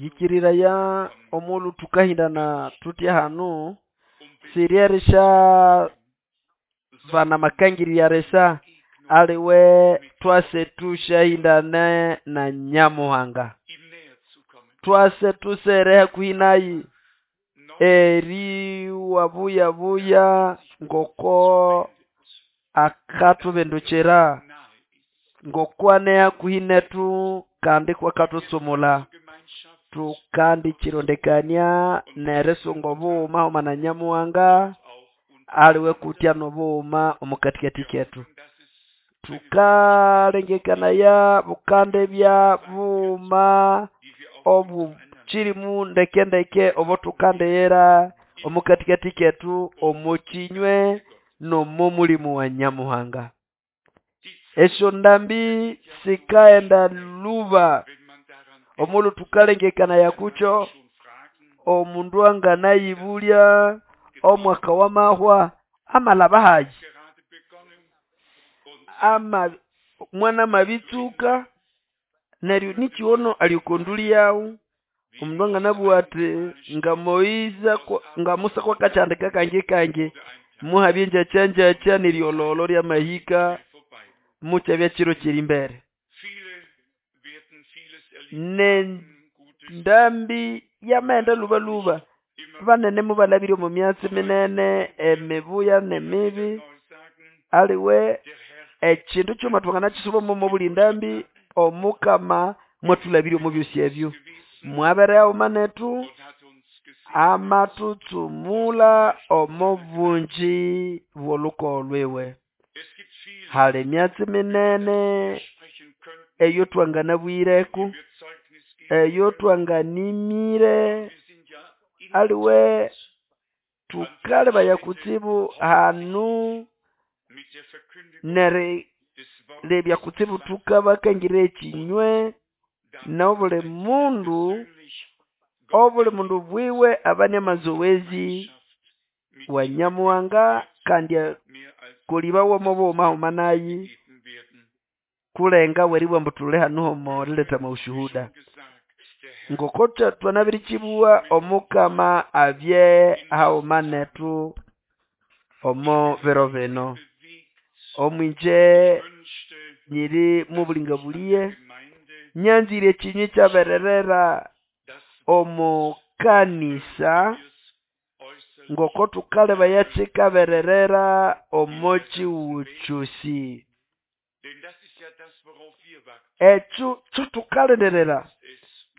Yĩkĩrĩraya omulhu thukahĩndana thuthya hanu siryerisya bana amakangĩrĩrya risa aliwe thwase thũsyahĩndane na Nyamuhanga thwase thusere hakuhi naye eriwa buya-buya ngoko akathubindukira ngoko ane hakuhi nethu kandi kwakathutsumula thukandikyirondekania nerisunga obughuma hawuma na Nyamuhanga aliwe kutya nobughuma omukathikathi kethu thukalengekanaya bukandibya bughuma obukyirimu ndeke-ndeke obothukandighira omukathikathi kethu omo kyinywe nomo mulimu wa Nyamuhanga esyondambi sikaghenda lhuba omulhu thukalengekanaya kukyo omundu anganayibulya omwaka wamahwa amalhaba hayi ama mwanamabitsuka neryo nikyi ono ali oko ndulĩ yaghu omundu anganabugha athi nga Moise nga Musa kwakakyihandika kangi kangi muhabya engyakya-ngyakya neryolhogholho lyamahika mukyabya kiro kyerimbere nendambi yamaghenda lhubalhuba banene mubalhabire omo myatsi minene emibuya nemibi aliwe ekyindu kyighuma thwanganakyisuba omobuli ndambi omukama mwathulhabirya omo byosi ebyo mwabere haghuma nethu amathutsumula omo bungi bw'olhukogo lwiwe hali emyatsi minene eyothwanganabwireko eyothwanganimire aliwe thukalebaya kutsibu hanu nerilebya kutsibu thukabakangiraya ekyinywe nobuli mundu obuli mundu bwiwe abane amazowezi wa Nyamuhanga kandi akolibawe omo bughuma haghuma naye kulenga weribugha ambu thuli hanu omo riletha amaushuhuda ngoko thwanabirikyibugha omukama abye haghuma nethu omo biro bino omwingye nyiri mobulingabulĩghe nyanzire ekyinywe ikyabererera omo kanisa ngoko thukalebaya kyikabererera omo kyihugho kyosi ekyo kyothukalindirira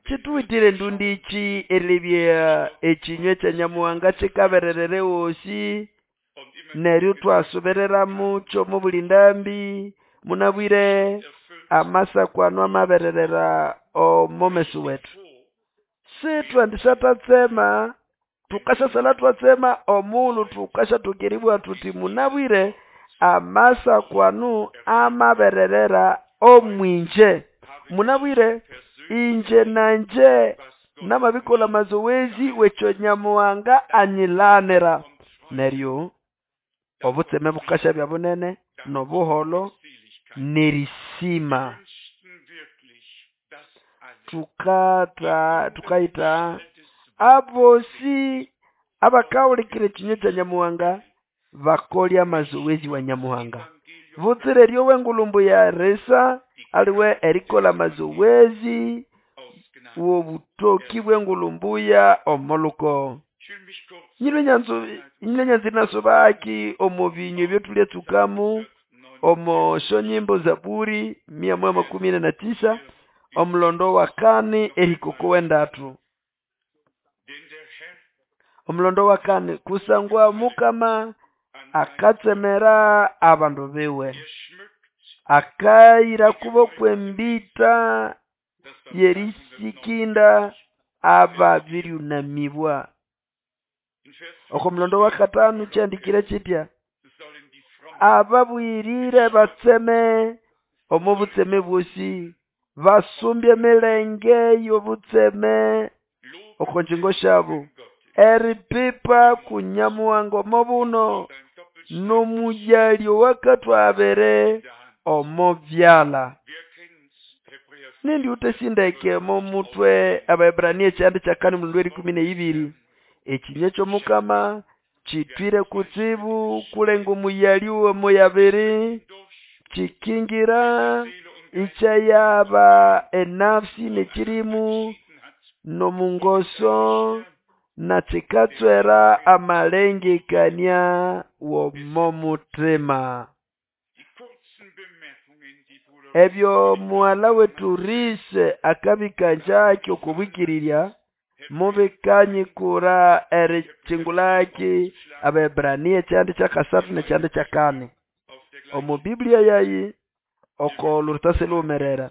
kyithuwithire endundikyi erilebya ekyinywe kya Nyamuhanga kyikabererera ehosi neryo ithwasubirira mukyo omobuli ndambi munabwire amasako ano amabererera omo meso wethu sithwendisathatsema thukasyasalha ithwatsema omughulhu thukasyathokera eribugha thuthi munabwire amasako anu amabererera omwingye munabwire ingye nangye namabikolha amazowezi wekyo Nyamuhanga anyilanira neryo obutseme bukasyabya bunene nobuholho nerisima thukatha thukayitha abosi abakahulikirira ekinywe kya Nyamuhanga bakolye amazowezi wa Nyamuhanga butsira eryowa engulhu mbuya risa aliwe erikolha amazowezi wobutoki bwengulhu mbuya omo lhukogo nyilwe nyanzu nyilwe nyanzire inasubaki omo binywa ebyothulyatsukamo omo syonyimbo Zaburi mia moja makumi ine na tisa omulondo wakani erihika oko wendathu omulondo wakani kusangwa Mukama akatsemera abandu biwe akayira kubo kwembita yerisikindi ababiryunamibwa oko mulondo wakatano kyahandikire kyitya ababuyirire batseme omo butseme bwosi basumbye emilenge y'obutseme oko ngyingo syabo eripipa ku Nyamuhanga omo buno n'omuyalyo owakathwabere omo byalha. Nindi utesindeke momutwe Abaebrania ekyanda kyakani omulondo w'erikumi n'eyibiri. Ekinywa ky'omukama kitwire kutsibu kulenga omuyali w'omoyabiri, kikingira ikyayaba enafsi n'ekirimu n'omungoso na kikatswera amalengekania w'omo mutima. Ebyo mughala wetu Rise akabikanjaki oko bwikirirya mubikanyikura erikingulaki Abaebrania ekyanda kyakasathu n'ekyanda kyakani. Omo Biblia yayi oko lurutasi lughumerera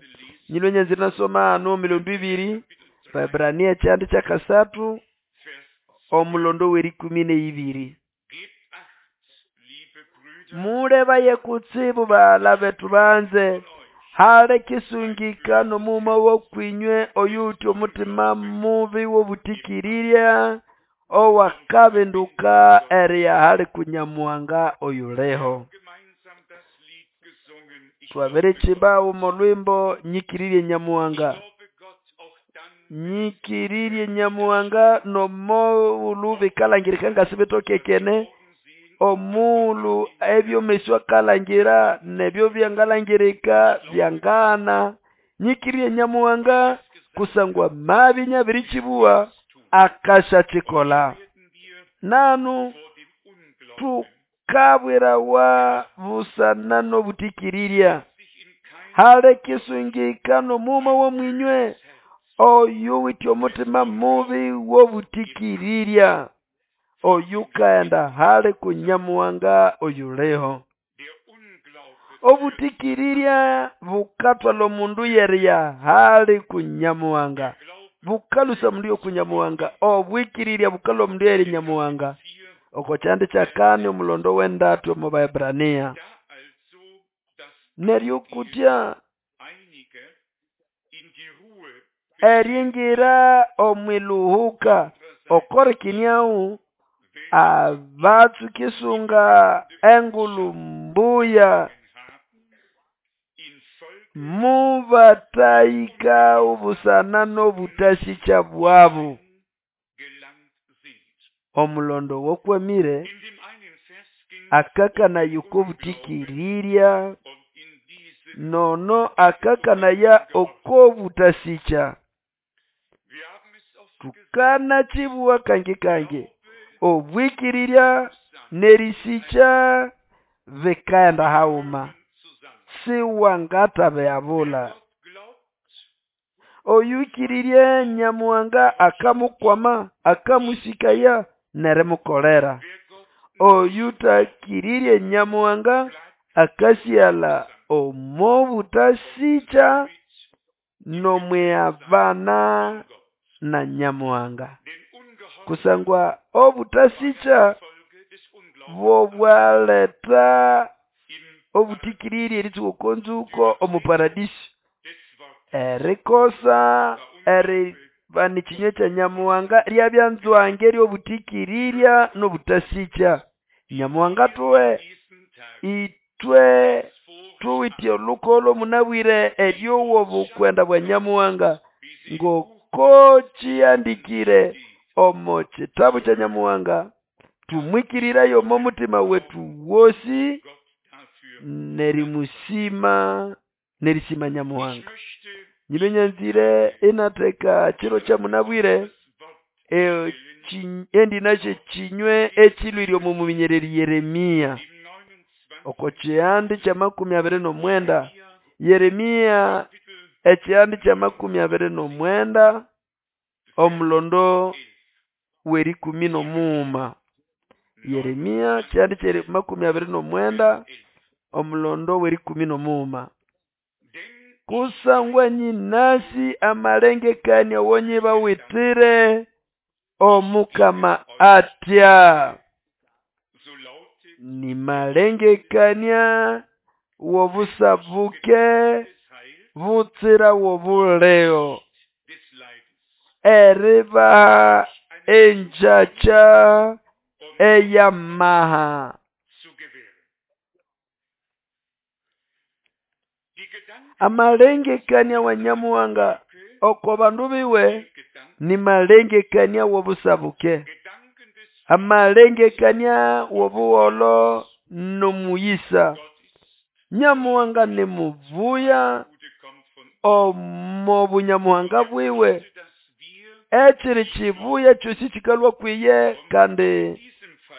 nyilwe nyanzire inasoma hano emilondo ibiri Abaebrania ekyanda kyakasathu omulondo w'erikumi n'eyibiri. Mulebaye kutsibu baghala bethu banze, hali kisungikano omughuma wa kwĩnywe oyuwite omutima mubi w'obũtĩkĩrĩrya owakabinduka eriya hali ku Nyamuhanga oyuliho. Twabirikimba haguma olhwimbo nyikiririe Nyamuhanga. Nyikiririe Nyamuhanga nomughulhu bikalhangirika ngasibitokekene, omughulhu ebyomeso akalangira nebyo byangalhangirika byangaghana. Nyikiririe Nyamuhanga kusangwa mabya inabirikibuwa akasyakikolha. Nanu tukabwirawa busana n'obũtĩkĩrĩrya. Hali kisungikano omughuma w'omwinywe oyuwite omutima mubi w'obũtĩkĩrĩrya oyukaghenda hali ku Nyamuhanga oyuliho. Obũtĩkĩrĩrya bukathwalha omundu y'eriya hali ku Nyamuhanga. Bukalũsya omundu y'oku Nyamuhanga. Obwikirirya bukalhwa omundu y'eri Nyamuhanga. Oko kyanda kyakani omulondo w'endathu omo Baebrania. Neryo kutya eringira omw'iluhuka okorikinyahu abatsuka isunga engulu mbuya mubatahĩka obusana n'obũtasĩkya bwabo. Omulondo owakwamire akakanaya oko bũtĩkĩrĩrya nono akakanaya oko bũtasĩkya. Thukanakibuwa kangi kangi obwĩkĩrĩrya n'erĩsĩkya bikaghenda haghuma siwangathabihabulha. Oyũkĩrĩrye Nyamuhanga akamukwama akamũsĩkaya n'erimukolera. Oyũtakĩrĩrye Nyamuhanga akasighalha omo bũtasĩkya n'omwihabana na Nyamuhanga. Kusangwa obũtasĩkya bobwaletha obũtĩkĩrĩrya eritsuka oko nzuko omo paradisyo. Erikosa eribana ekinywa kya Nyamuhanga ryabya nzwange ry'obũtĩkĩrĩrya n'obũtasĩkya. Nyamuhanga athuhe ithwe thuwithe olhukoho munabwire eryowa obukwenda bwa Nyamuhanga ngoko kihandikire omo kitabu kya Nyamuhanga tumwikiriraye omo mutima wethu wosi n'erimusima n'erisima Nyamuhanga. Nyilwe nyanzire inatheka kiro kyamunabwire endinasyo ekinywe ekilhwire omo muminyererĩ Yeremia. Oko kihandi ky'amakumi abiri n'omwenda Yeremia ekihandi ky'amakumi abiri n'omwenda omulondo w'erikumi n'omughuma. Yeremia kihandi ky'amakumi abiri n'omwenda omulondo w'erikumi n'omughuma. Kusangwa nyinasi amalengekania awanyibawitire Omukama atya. Ni malengekania w'obusabuke butsira w'obulego eribaha engyakya ey'amaha. Amalengekania wa Nyamuhanga oko bandu biwe ni malengekania w'obusabuke, amalengekania w'obuholo n'omuyisa. Nyamuhanga ni mubuya omo bunyamuhanga bwiwe. Ekiri kibuya kyosi kikalhwa kwiye, kandi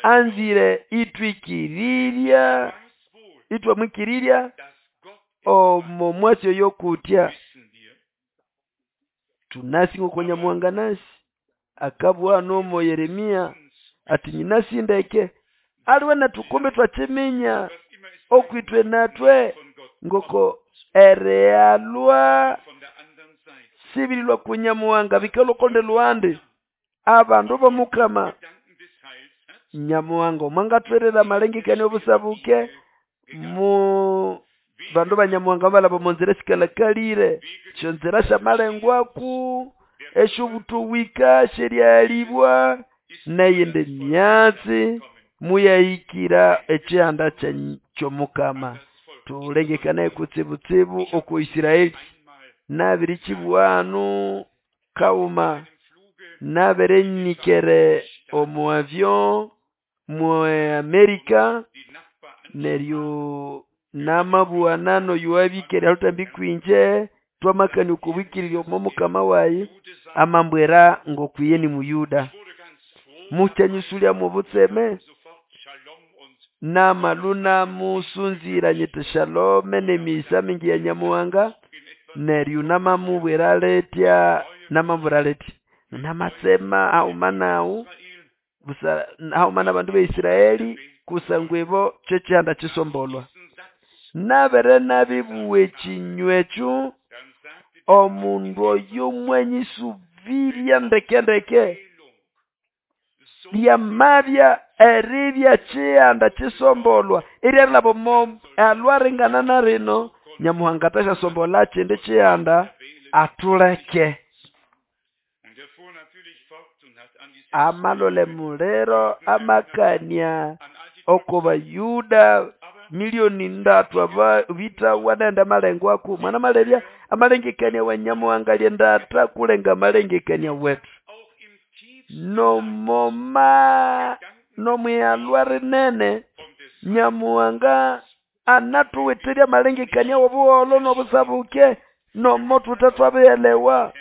anzire itwikirirya, itwamwikirirya omo mwatsi oyo kutya. Tunasi ngoko Nyamuhanga nasi akabugha nomo Yeremia ati nyinasi ndeke aliwe nethu kumbe twakiminya okwitwe natwe ngoko erighalwa sibirilwa ku Nyamuhanga bikalhwa okundi lhuhandi. Abandu b'omukama Nyamuhanga omwangathwerera amalengekania obusabuke mu bandu ba Nyamuhanga balaba omo nzira esikalhakalire, esyonzira syamalengwaku, esyobutowika, esyerighalibwa neyindi myatsi muyahikira ekihanda ky'omukama. Tulengekanaye kutsibutsibu oko Israeli. Nabirikibuga hanu kawuma, nabirenyikere omu avion mu Amerika, neryo namabughana n'oyo wabikere ahalhutambi kwinje, twamakania oko bwikiriryo omo mukama wayi, amambwira ngokwiye ni muyuda. Mukyanyĩsũlya mw'obutseme, namalwa inamusunzira nyiti shalome n'emiyisa mingi ya Nyamuhanga, neryo namamubwira litya, namamubwira litya, namatsema haghuma naghu busa haghuma n'abandu ba Israeli kusangwa ibo ky'ekihanda kisombolwa. Nabere nabibugha ekinywa ekyo, omundu oyo mwanyisubirya ndeke ndeke, lyamabya eribya kihanda kisombolwa eryarilhaba omo alwaringana na rino, Nyamuhanga athasyasombolha kindi kihanda athuleke. Amalolha emuliro amakania oko bayuda milioni ndatu aba bithawa neyindi amalengwaku. Mwanamalebya amalengekania wa Nyamuhanga ali endatha kulenga amalengekania wetu. Nomoma nomwighalwa rinene Nyamuhanga anathuwitherya amalengekania w'obuholho n'obusabuke nomo thuthe twabihelewa.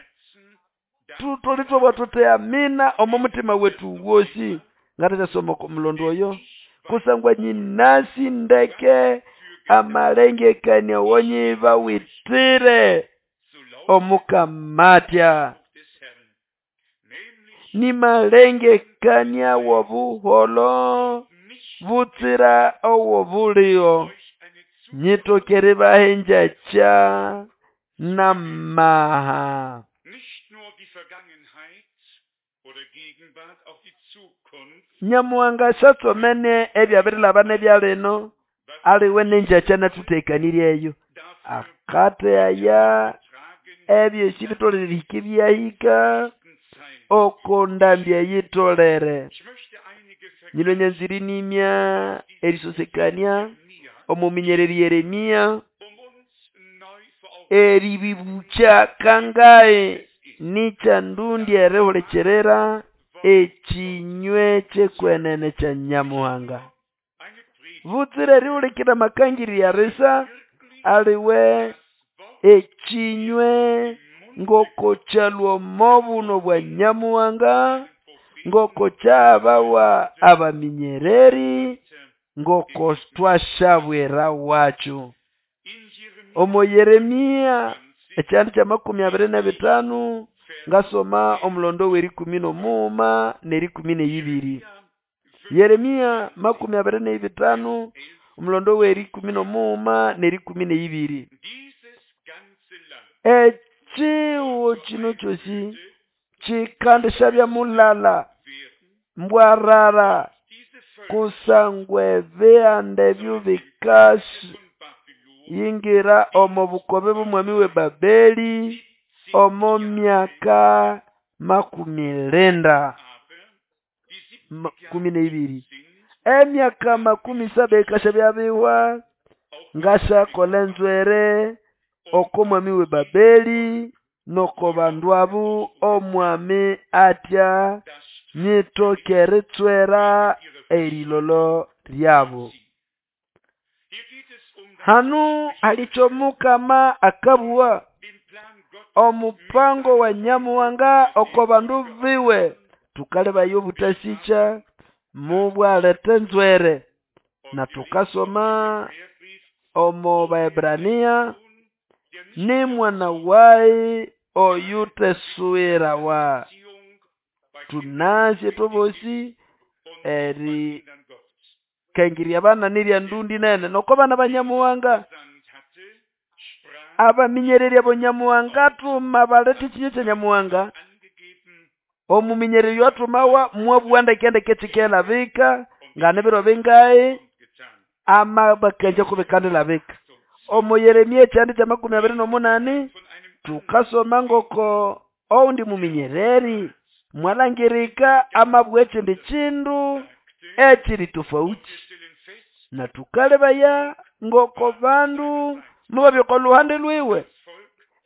Thutholere ithwabugha thuthi amina omo muthima wethu wosi. Ngathasyasoma oko mulondo oyo kusangwa nyinasi ndeke amalengekania wonyibawitire Omukama atya. Ni malengekania w'obuholho butsira ow'obuligo, nyitoke eribaha engyakya n'amaha. Nyamuhanga syatsomene ebyabirilhaba n'ebya lino, aliwe n'engyakya anathuthekaniryeyo. Akatheghaya ebyosi bitholere erihika ebyahika oko ndambi eyitholere. Nyino nyanzire inimya erisosekania omuminyereri Yeremia eribibukya kangahi nikyandundi erihulikirira ekinywe ky'ekwenene kya Nyamuhanga. Butsira erihulikirira amakangĩrĩrya erisa, aliwe ekinywe ngoko kyalhwa omo buno bwa Nyamuhanga, ngoko kyahabawa abaminyereri, ngoko twashabwirawacho. Omo Yeremia ekyanda kya 25 ngasoma omulondo w'erikumi n'omughuma n'erikumi n'eyibiri. Yeremia 25 omulondo w'erikumi n'omughuma n'erikumi n'eyibiri. Ekihugo kino kyosi kikandishabya mulala mbwarara kusangwa ebihanda ebyo bikayingira omo bukobe bw'omwami w'eBabeli omo myaka 90 12. Emyaka 70 ikashabya bihwa ngashakola enzwere. Oko mwami w'eBabeli noko bandu abo omwami atya nyitoke eritswera erilolo lyabo. Hano hali ky'omukama akabugha omupango wa Nyamuhanga oko bandu biwe. Tukalebayo obutasikya mubwaleta enzwere. Na tukasoma omo Baebrania ni mwana wayi oyutesuwirawa. Tunasi ithwebosi eri kangirya abana nirya ndundi nene noko bana ba Nyamuhanga. Abaminyererya abo Nyamuhanga athuma baletha ekinywa kya Nyamuhanga. Omuminyereryo athumawa mwabugha ndeke ndeke ekikelabika nga nibiro bingahi amabakanja kubikandilabika. Omo Yeremia ekyanda kya 28 tukasoma ngoko oundi muminyereri mwalangirika amabugha ekindi kindu ekiri tofauti. Na tukalebaya ngoko bandu mubabya oko luhande lwiwe.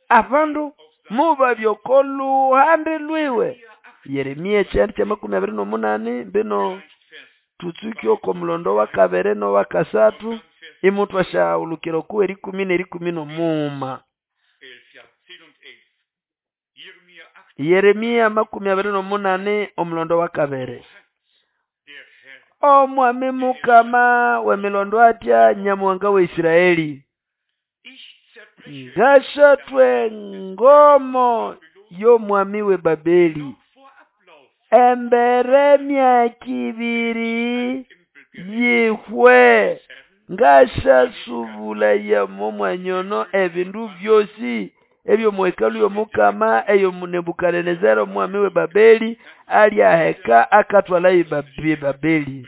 Abandu mubabya oko luhande lwiwe. Yeremia ekyanda kya 28 mbino tutsuke oko mulondo wa kabiri nowa kasathu imutwasyaghulukira oko erikumi nerikumi nomughuma. Yeremia 28 omulondo wa kabiri. Omwami mukama w'emilondo atya Nyamuhanga wa Isiraeli. Ngasyathwa engomo y'omwami w'eBabeli. Embere emyaka ibiri yihwe ngasyasubulaya omwanya ono ebindu byosi eby'omuhekalu y'omukama eyo Nebukadinezari omwami w'eBabeli alyaheka akathwala eBabeli.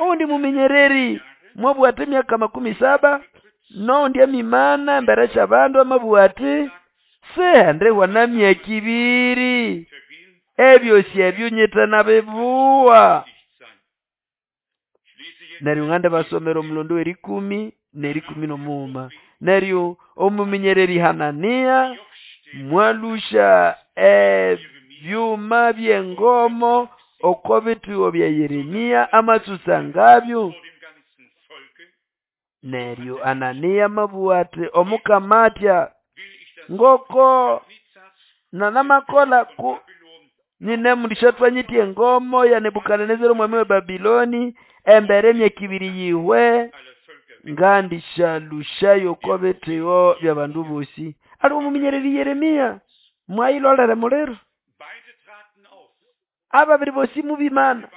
Oundi muminyereri mwabugha ati emyaka 70 noundi amimana embere sy'abandu amabugha ati sihendihwa na myaka ibiri ebyosi ebyo nyite nabibuwa. Neryo ngande basomera omulondo w'erikumi nerikumi n'omughuma. Neryo omuminyereri Hanania mwalusha ebyuma by'engomo oko bithigo bya Yeremia amatsutsa ngabyo. Neryo Hanania amabugha ati omukama atya ngoko nanamakola ku nyine mundisyathwa nyitya engomo ya Nebukadinezari omwami wa Babiloni embere emyaka ibiri yihwe ngandisyalushayo oko bithigo by'abandu bosi. Ali omuminyereri Yeremia mwayilolera muliro. Ababiri bosi mubimana.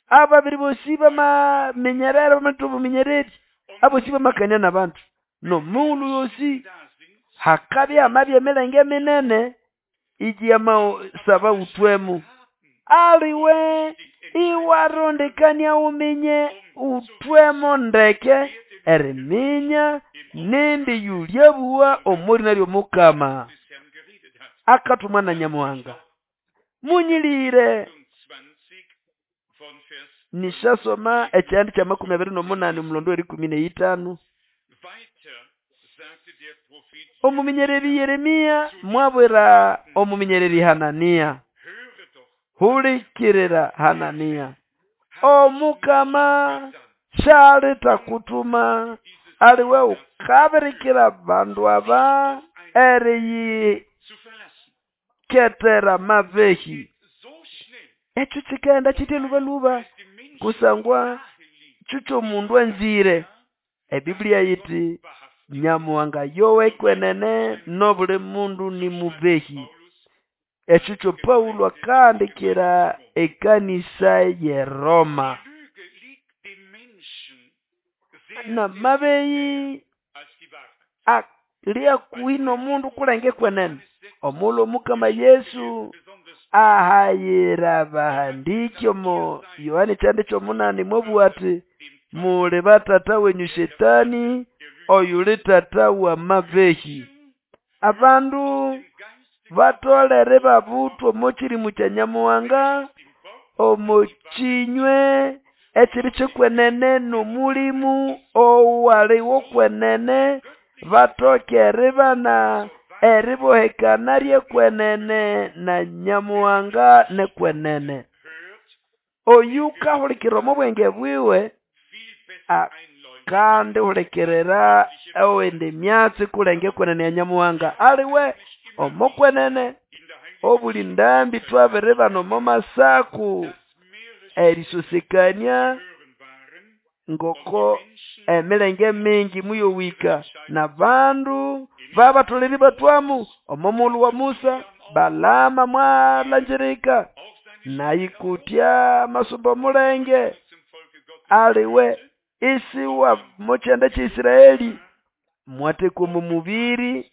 Ababiri bosi bamaminyerera bamatha obuminyereri. Abosi bamakania n'abandu. N'omughulhu yosi hakabya amabya emilenge minene igiyamasaba uthwemo. Aliwe iwarondekania uminye uthwemo ndeke eriminya nindi yulyabuwa omurina ly'omukama akathumwa na Nyamuhanga. Munyilire nishasoma ekyandi kya 28 omulondo w'erikumi n'eyitano. Omuminyereri Yeremia mwabwira omuminyereri Hanania. Hulikirira Hanania. Omukama syalitakutuma aliwe ukabirikira bandu aba eriyiketera mabehi. Ekyo kikaghenda kitya lubaluba kusangwa kyo kyomundu anzire. Ebiblia yiti Nyamuhanga yowe kwenene n'obuli mundu ni mubehi. Ekyo kyo Paulo akahandikira ekanisa y'eRoma. Namabehi ali hakuhi n'omundu kulenga ekwenene. Omughulhu omukama Yesu ahayira abahandiki omo Yohana ekyanda ky'omunani mwabugha ati muli batata wenyu Shetani oyuli tata w'amabehi. Abandu batolere babuthwa omo kyirimu kya Nyamuhanga omo kinywe ekiri ky'ekwenene n'omulimu owali w'okwenene. Batoke eribana eribohekana ryekwenene na Nyamuhanga nekwenene. Oyu kahulikirira omo bwenge bwiwe kandi hulikirira owindi myatsi kulenge kwenene ya Nyamuhanga aliwe omo kwenene. Obuli ndambi twabiribana omo masaku erisosekania ngoko emilenge mingi muyowika nabandu babatolere batwamu omo mulu wa Musa. Balama mwalanjirika nayikutya masumba omulenge aliwe isiwa mochanda cha Israeli mwatekwa omo mubiri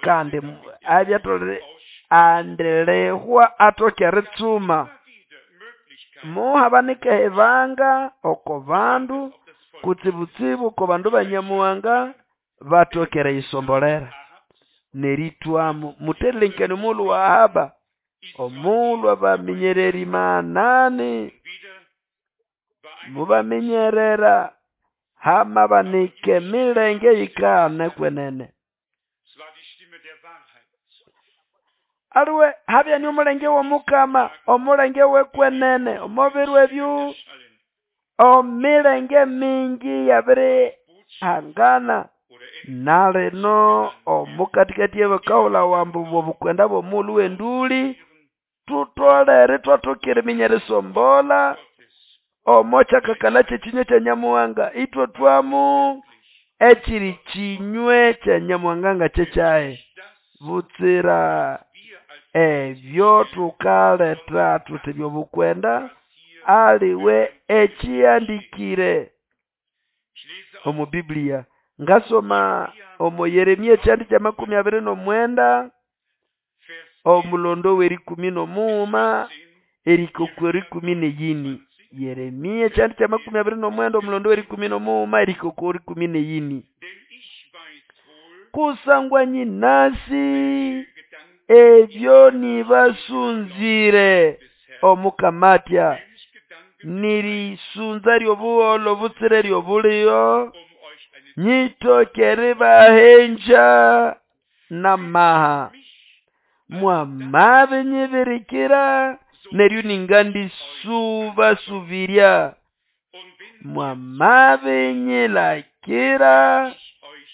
kandi abyatolere andelehwa atoke eritsuma. Muhabanika ebanga oko bandu kutsibutsibu oko bandu ba Nyamuhanga batokere yisombolera neritwamu. Muterilenkani omulhu wa Ahaba omulhu abaminyereri manani mubaminyerera hamabanike milenge yikane kwenene. Aliwe habyani omulenge w'omukama omulenge w'ekwenene omubiro ebyo omilenge mingi yabiri hangana nalino omukatikati y'abakahula wambu bw'obukwenda bw'omulhu w'enduli tutolere twatokere minyerisombola omo kyakakala kyekinywe kya Nyamuhanga itwe twamu ekiri kinywe kya Nyamuhanga nga kyekyahe butsira ebyo tukaleta tuti byobukwenda aliwe ekihandikire omu Biblia. Ngasoma omo Yeremia ekyandi kya 29 omulondo w'erikumi n'omuuma erikoko erikumi n'eyini. Yeremia ekyandi kya 29 omulondo w'erikumi n'omuuma erikoko erikumi n'eyini. Kusangwa nyinasi ebyo nibasunzire omukamatya nirisunza ryobuholo butsire ryobuliyo nyitokere bahenja namaha mwamabe nyibirikira neryo ningandisubasubirya mwamabe nyilakira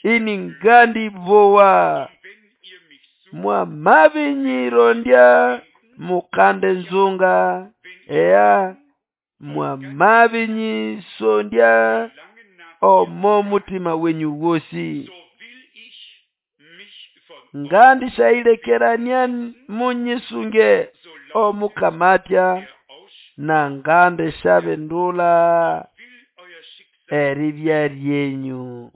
iningandibowa mwamabe nyirondya mukande nzunga eya mwamabe nyisondya omo mutima wenyu wosi ngandishailekerania munyisunge omukamatya na ngandishabindula eribya ryenyu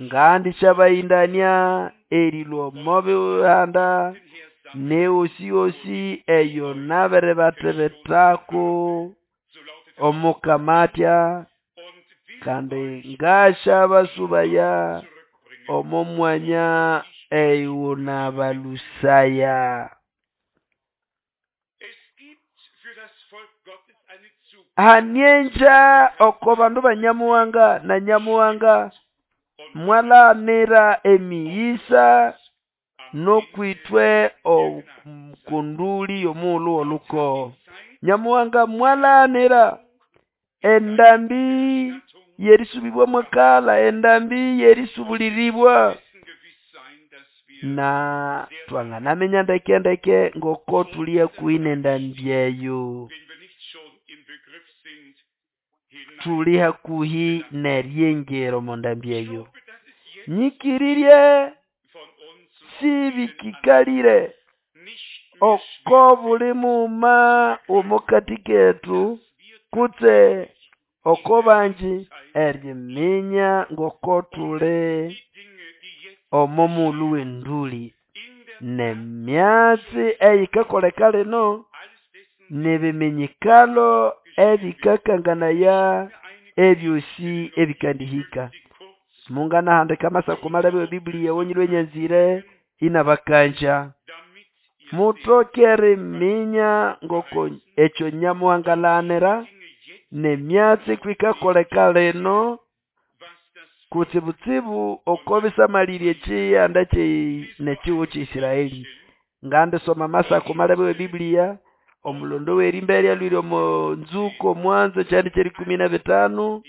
ngandishabaindania erilwa omo bihanda neosiosi eyo nabirebatebetako omukamatya kandi ngashabasubaya omo mwanya eyunabalusaya. Hanienja oko bandu ba Nyamuhanga na Nyamuhanga mwalanira emiyisa nokwitwe okunduli y'omulhu w'oluko. Nyamuhanga mwalanira endambi yerisubibwa mwakala endambi yerisubuliribwa na twanganaminya ndeke ndeke ngoko tulia kuine endambi eyo tuli hakuhi neryengero mondambi eyo nyikirirye sibikikalire oko buli muma omukati ketu kutse oko banji eriminya ngoko tuli omo mulu w'enduli nemyatsi eyikakoleka lino nebiminyikalo ebikakanganaya ebyosi ebikandihika. Munganahandika amasako malabe wa Biblia wonyilwe nyanzire inabakanja mutokere minya ngoko ekyo Nyamuhangalanira nemyatsi kwikakoleka lino Kutsibutsibu oko bisamalĩrye ekiyanda n'ekihugo ky'Israeli. Ngandisoma Amasako malebe w'eBiblia, omulondo w'erimbere alwire omo nzuko omwanzo ekyandi ky'erikumi n'ebitano,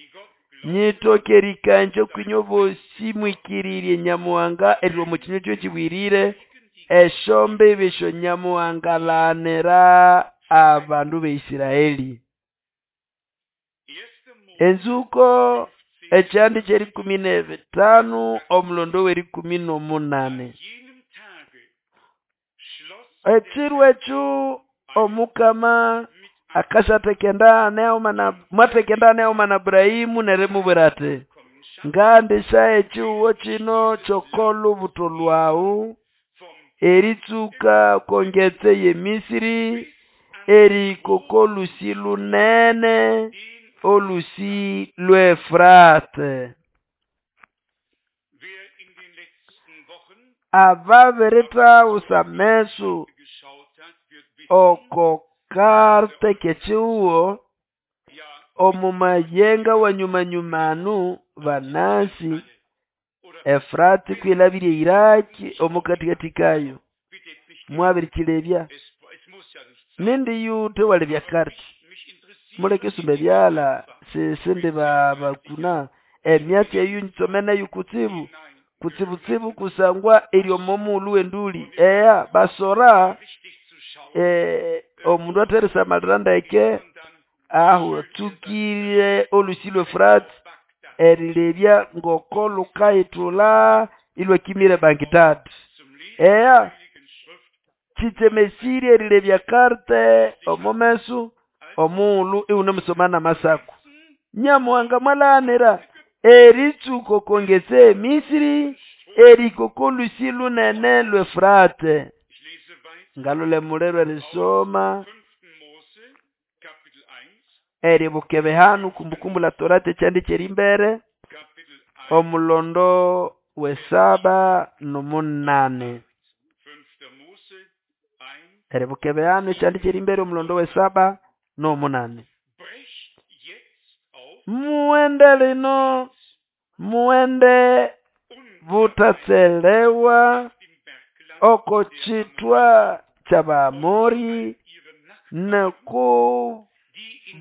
nyitoke erikanja okwinywe bosi mwikirirye Nyamuhanga erilwa omo kinywa kiwe ekibwirire, esyombibi esyo Nyamuhanga alaghanira abandu b'Israeli. Enzuko ekyandi ky'erikumi n'ebitano omulondo w'erikumi n'omunane. Ekiro ekyo Omukama akasyatheka endagano eghuma na mwatheka endagano eghuma na Abrahimu nerimubwira ati, ngandisyaha ekihugo kino ky'okolubutho lhwawu eritsuka oko ngetse y'eMisiri erihika oko lhusi lunene, olhusi lw'Efurate. Ababirithagusa ameso oko karte k'ekihugo omo mayenga wa nyuma-nyuma anu banasi Efurati kwilabire eIraki omo katikati kayo. Mwabirikilebya. Nindi yuthe walebya karte. Muleke erisumba ebyalha sisindi bakuna emyatsi eyo nyitsomeneyo kutsibu kutsibutsibu kusangwa eri omo mughulhu w'endũlĩ. Eya basora omundu atherisamalira ndeke aho atsukire olhusi lw'Efurati erilebya ngoko lhukayithulha ilhwakimira eBagdad. Eya kitsemesirye erilebya karte omo meso omughulhu iwunemusoma n'Amasako. Nyamuhanga mwalaghanira eritsuka oko ngetse y'eMisiri erihika oko lhusi lunene lw'Efurate. Ngalolha emuliro erisoma eribuka ebihano Kumbukumbu la Torati ekyandi ky'erimbere omulondo w'esaba n'omunane. Eribuka ebihano ekyandi ky'erimbere omulondo w'esaba n'omunane. Mughende lino, mughende buthatselewa oko kithwa ky'Abaamori nako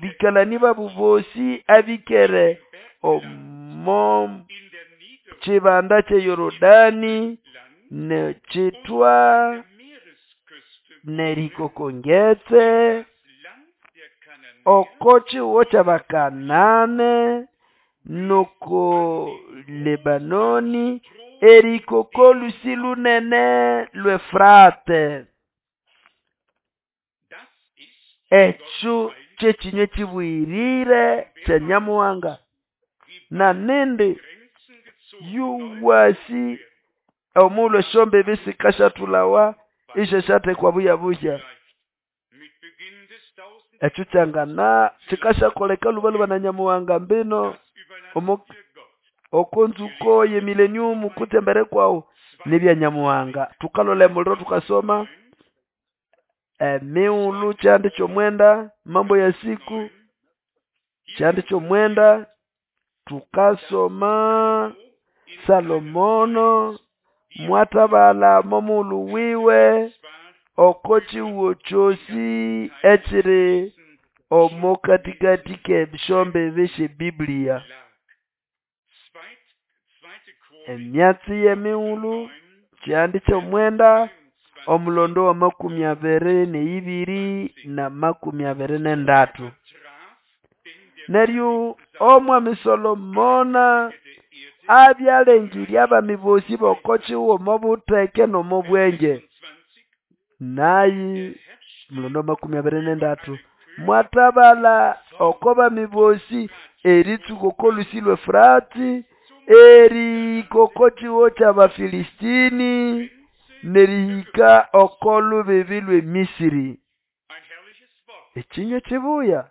bikalani babo bosi abĩkere omo kibanda ky'eYorodani n'ekithwa n'erihika oko ngetse oko kihugo ky'Abakanane n'oko Lebanoni erihika oko lhusi lunene lw'Efurate. Ekyo ky'ekinywa ekibuyirire kya Nyamuhanga. Na nindi yuwasi omughulhu esyombibi sikasyathulhawa isyathekwa buya-buya. Ekyo kyangana kikasyakoleka lhuba-lhuba na Nyamuhanga mbino omo oko nzuko y'emillennium kutse embere kwawu nibya Nyamuhanga. Thukalolha emuliro thukasoma emighulhu kyandi ky'omwenda Mambo ya Siku kyandi ky'omwenda thukasoma Salomono mwathabalha momughulhu wiwe oko kihugo kyosi ekiri omo katikati k'esyombibi sy'eBiblia. Emyatsi y'emighulhu kyandi ky'omwenda omulondo w'amakumi abiri n'eyibiri n'amakumi abiri n'endatu. Neryo Omwami Solomona abya alengirye abami bosi b'oko kihugo omo butheke n'omo bwenge. Naye omulondo w'amakumi abiri n'endatu mwathabalha oko bami bosi eritsuka oko lhusi lw'Efurati erihika oko kihugo ky'Abafilistini n'erihika oko lubibi lw'eMisiri. Ekinywa kibuya.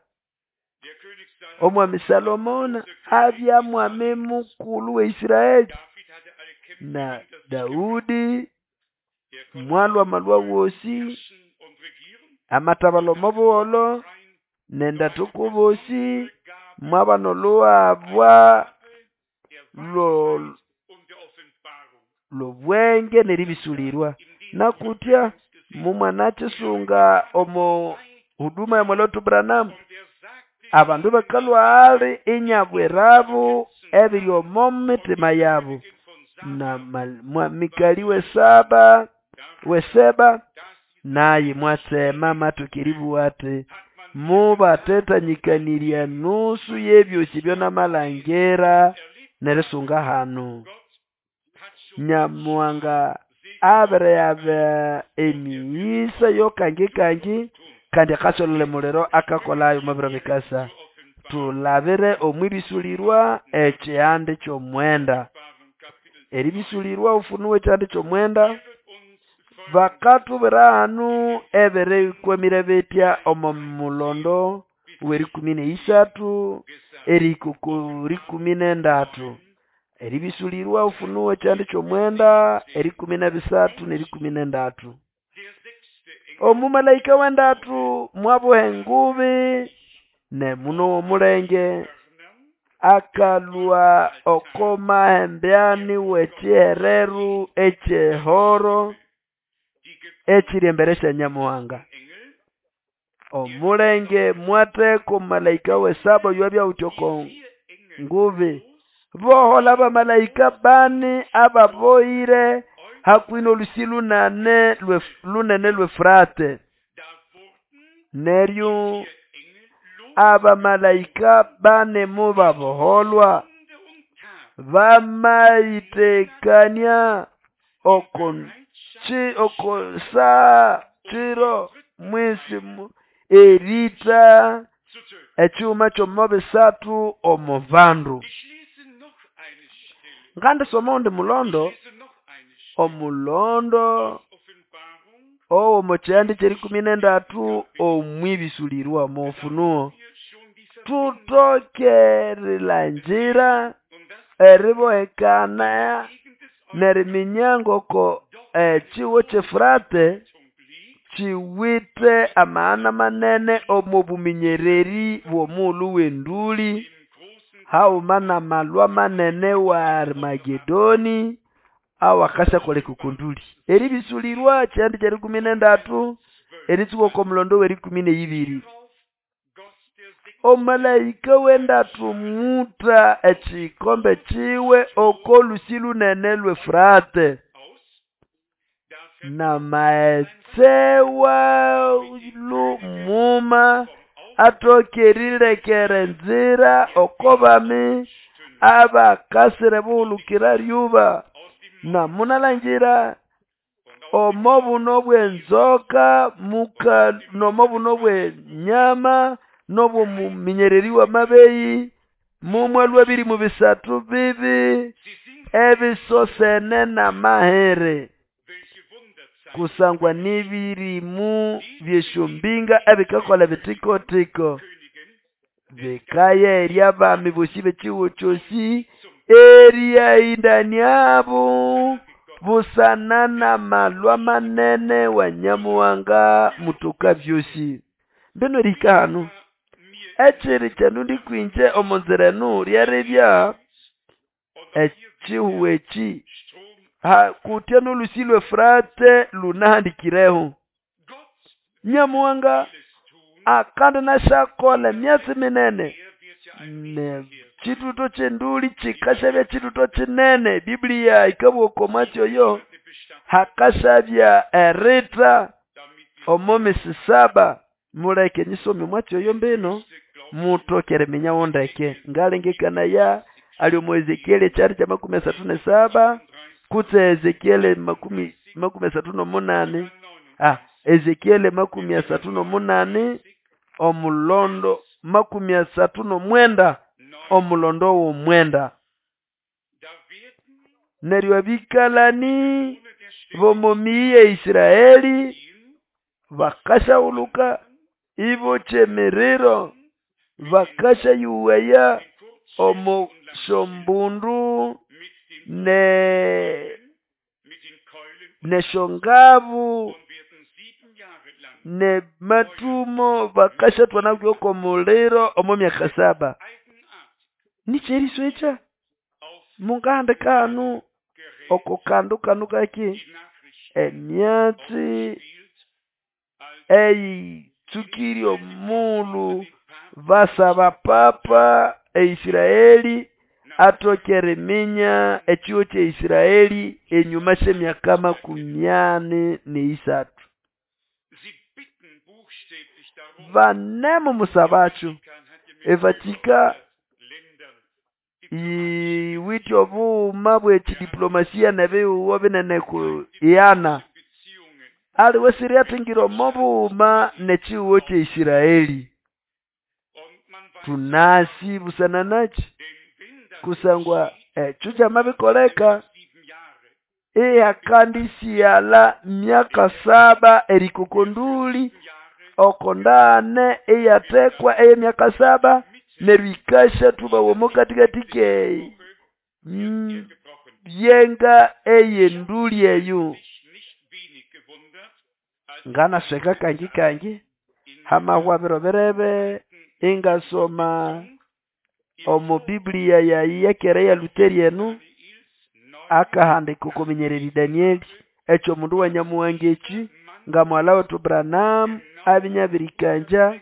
Omwami Salomona abya mwami mukulhu w'eIsraeli na Daudi mwalhwa amalhwa wosi amathabalha omo buholho n'endathu kubosi mwabana olhuhabwa. lobwenge nerĩbĩsũlĩrwa. Nakutya mumwanakisunga omo huduma ya mwalwetu Branham, abandu bakalhwa ali inyabwirabo ebiri omo mitima yabo. Na Mikali wesaba weseba naye mwatsema matoka eribugha ati mubatethanyikanirya nusu y'ebyosi ebyo namalangira nerisunga hano. Nyamuhanga abirigaba emighisa yokangikangi kandi akasololya omuliro akakolayo omo biro bikasa. Tulabire omwibĩsũlĩrwa ekyihanda ky'omwenda. Eribĩsũlĩrwa Ufunuo ekyihanda ky'omwenda, bakathubwira hanu ebirikwamire bitya omo mulondo w'erikumi n'eyisathu erihika oko rikumi n'endatu. Eribĩsũlĩrwa Ufunuo ekyihanda ky'omwenda erikumi n'ebisathu n'erikumi n'endatu. Omumalaika w'endatu mwabuha engubi nemuno w'omulenge akalhwa oko mahembeani w'ekihereru eky'ehoro ekiri embere sya Nyamuhanga. Omulenge mwatheka omumalaika w'esaba oyowabya awithe oko ngubi. Bohola abamalaika bani ababohire hakuhi n'olũsĩ lunane lunene lw'Efurate. Neryo abamalaika bani mubaboholwa bamayitekania oko oko saa kiro mwisi erita ekyuma ky'omo bisathu omo bandu. Ngandisoma ogundi mulondo, omulondo owomo kyihanda ky'erikumi n'endatu omwibĩsũlĩrwa omo Ufunuo. Thutoke erilangira eribohekana neriminya ngoko ekihugo ky'Efurate kiwithe amaghana manene omo buminyererĩ bw'omughulhu w'endũlĩ haghuma n'amalhwa manene wa Armageddon awakasyakoleka oko ndũlĩ. Erĩbĩsũlĩrwa ekyihanda ky'erikumi n'endatu eritsuka oko mulondo w'erikumi n'eyibiri. Omumalaika w'endatu mutha ekikombe kiwe oko lhusi lunene lw'Efurate n'amaghetse walhu muma atoke erilekera enzira oko bami abakasira ebuhulukira lyuba. Na munalangira omo buno bw'enzoka muka nomo buno bw'enyama n'obw'omuminyererĩ w'amabeyi mumwalhwa birimu bisathu bibi ebisosene n'amahere kusangwa n'ebirimu by'esyombinga ebikakolha ebithikotiko bikayerya abami bosi b'ekihugho kyosi eriyahĩndaniabo busana n'amalhwa manene wa Nyamuhanga mutoka byosi. Mbinu erihika hanu ekiri kyandundi kwinje omo nzira enu lyeribya ekihugho eki kutya n'olhusi lw'Efurate lunahandikireho. Nyamuhanga akandinasyakolha emyatsi minene n'ekithuto ky'endũlĩ kikasyabya kithuto kinene. Biblia yikabugha oko mwatsi oyo hakasyabya erita omo misi saba. Muleke nyisome omwatsi oyo mbino muthoke eriminyawo ndeke. Ngalengekanaya ali omo Ezekieli ekyihanda kya makumi asathu n'esaba kutse Ezekieli makumi asathu n'omunani Ezekieli makumi asathu n'omunani omulondo makumi asathu n'omwenda omulondo w'omwenda. Neryo abikalani b'omo miyi ya Isiraeli bakasyahuluka ibokya emiriro bakasyayughaya omo syombundu n'esyongabu n'amathumo bakasyathwana kw'oko muliro omo myaka saba. Niky'eriswekya. Mungahandika hanu oko kandu kanu kaki emyatsi eyitsukire omugulhu basaba papa eIsraeli atoke eriminya ekigo kye Israeli enyuma syemyaka 43. Banemumusabakyo eVatika yiwithe obughuma bw'ekidiplomasia n'ebihugo binene ku ghana. Aliwe siriathingira omo bughuma n'ekihugo kye Israeli. Tunasi busana naki? Kusangwa ekyo kyamabikoleka ihakandisighalha myaka saba erihika oko nduli oko ndagane eyathekwa ey'emyaka saba neryo yikashathubawa omo katikati ke yenga ey'enduli eyo. Nganasweka kangi kangi hamahwa biro birebe ingasoma omo Biblia yayi eyakera eya Luteri eno akahandika okw'omunyereri Danieli ekyo mundu wa Nyamuhanga eki nga mughala wetu Branham abya inabirikangya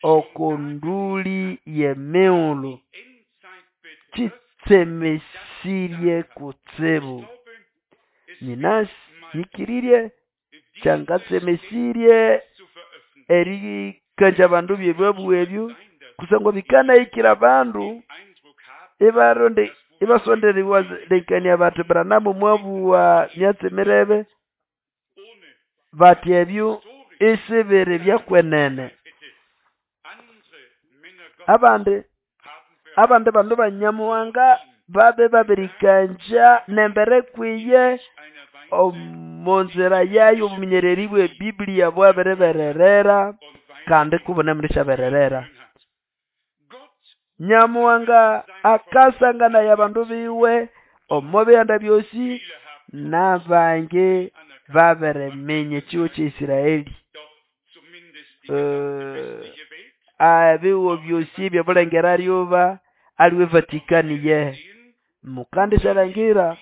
oko nduli y'emigulu kitsemesirye kutsibu. Nyinasi nyĩkĩrĩrye kyangatsemesirye erikangya abandu by'ebyabuga ebyo kusangwa bikanahikira abandu ibaronde ibasonda eriwalengekania bati Branham mwabuga myatsi mirebe bati ebyo isibiri byakwenene. Abandi abandi bandu ba Nyamuhanga babe babirikangya nembere kwiye omo nzira yayo obuminyereri bwe Biblia bwabiribererera kandi kubunemundisyabererera. Nyamuhanga akasanganaya abandu biwe omo bihanda byosi n'abangi babiriminya ekigo kye Israeli. Ebihugo byosi eby'obulengera lyuba aliwe Vatikani yehe. Mukandisyalangira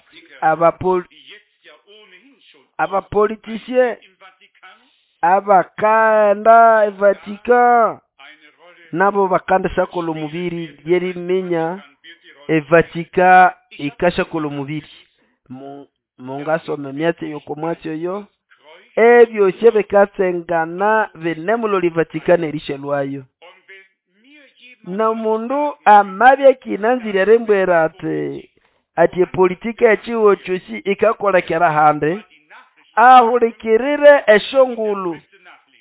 abapolitisye abakaghenda eVatika nabo bakandisyakolha omubiri lyeriminya eVatika yikasyakolha omubiri. Mungasoma emyatsi eyo oko mwatsi oyo ebyosi ebikatsengana binemulolya eVatikani erisyalhwayo. N'omundu amabya akinanzire erimbwira ati ati epolitika y'ekihugo kyosi yikakolekera ahandi ahulikirire esyongulhu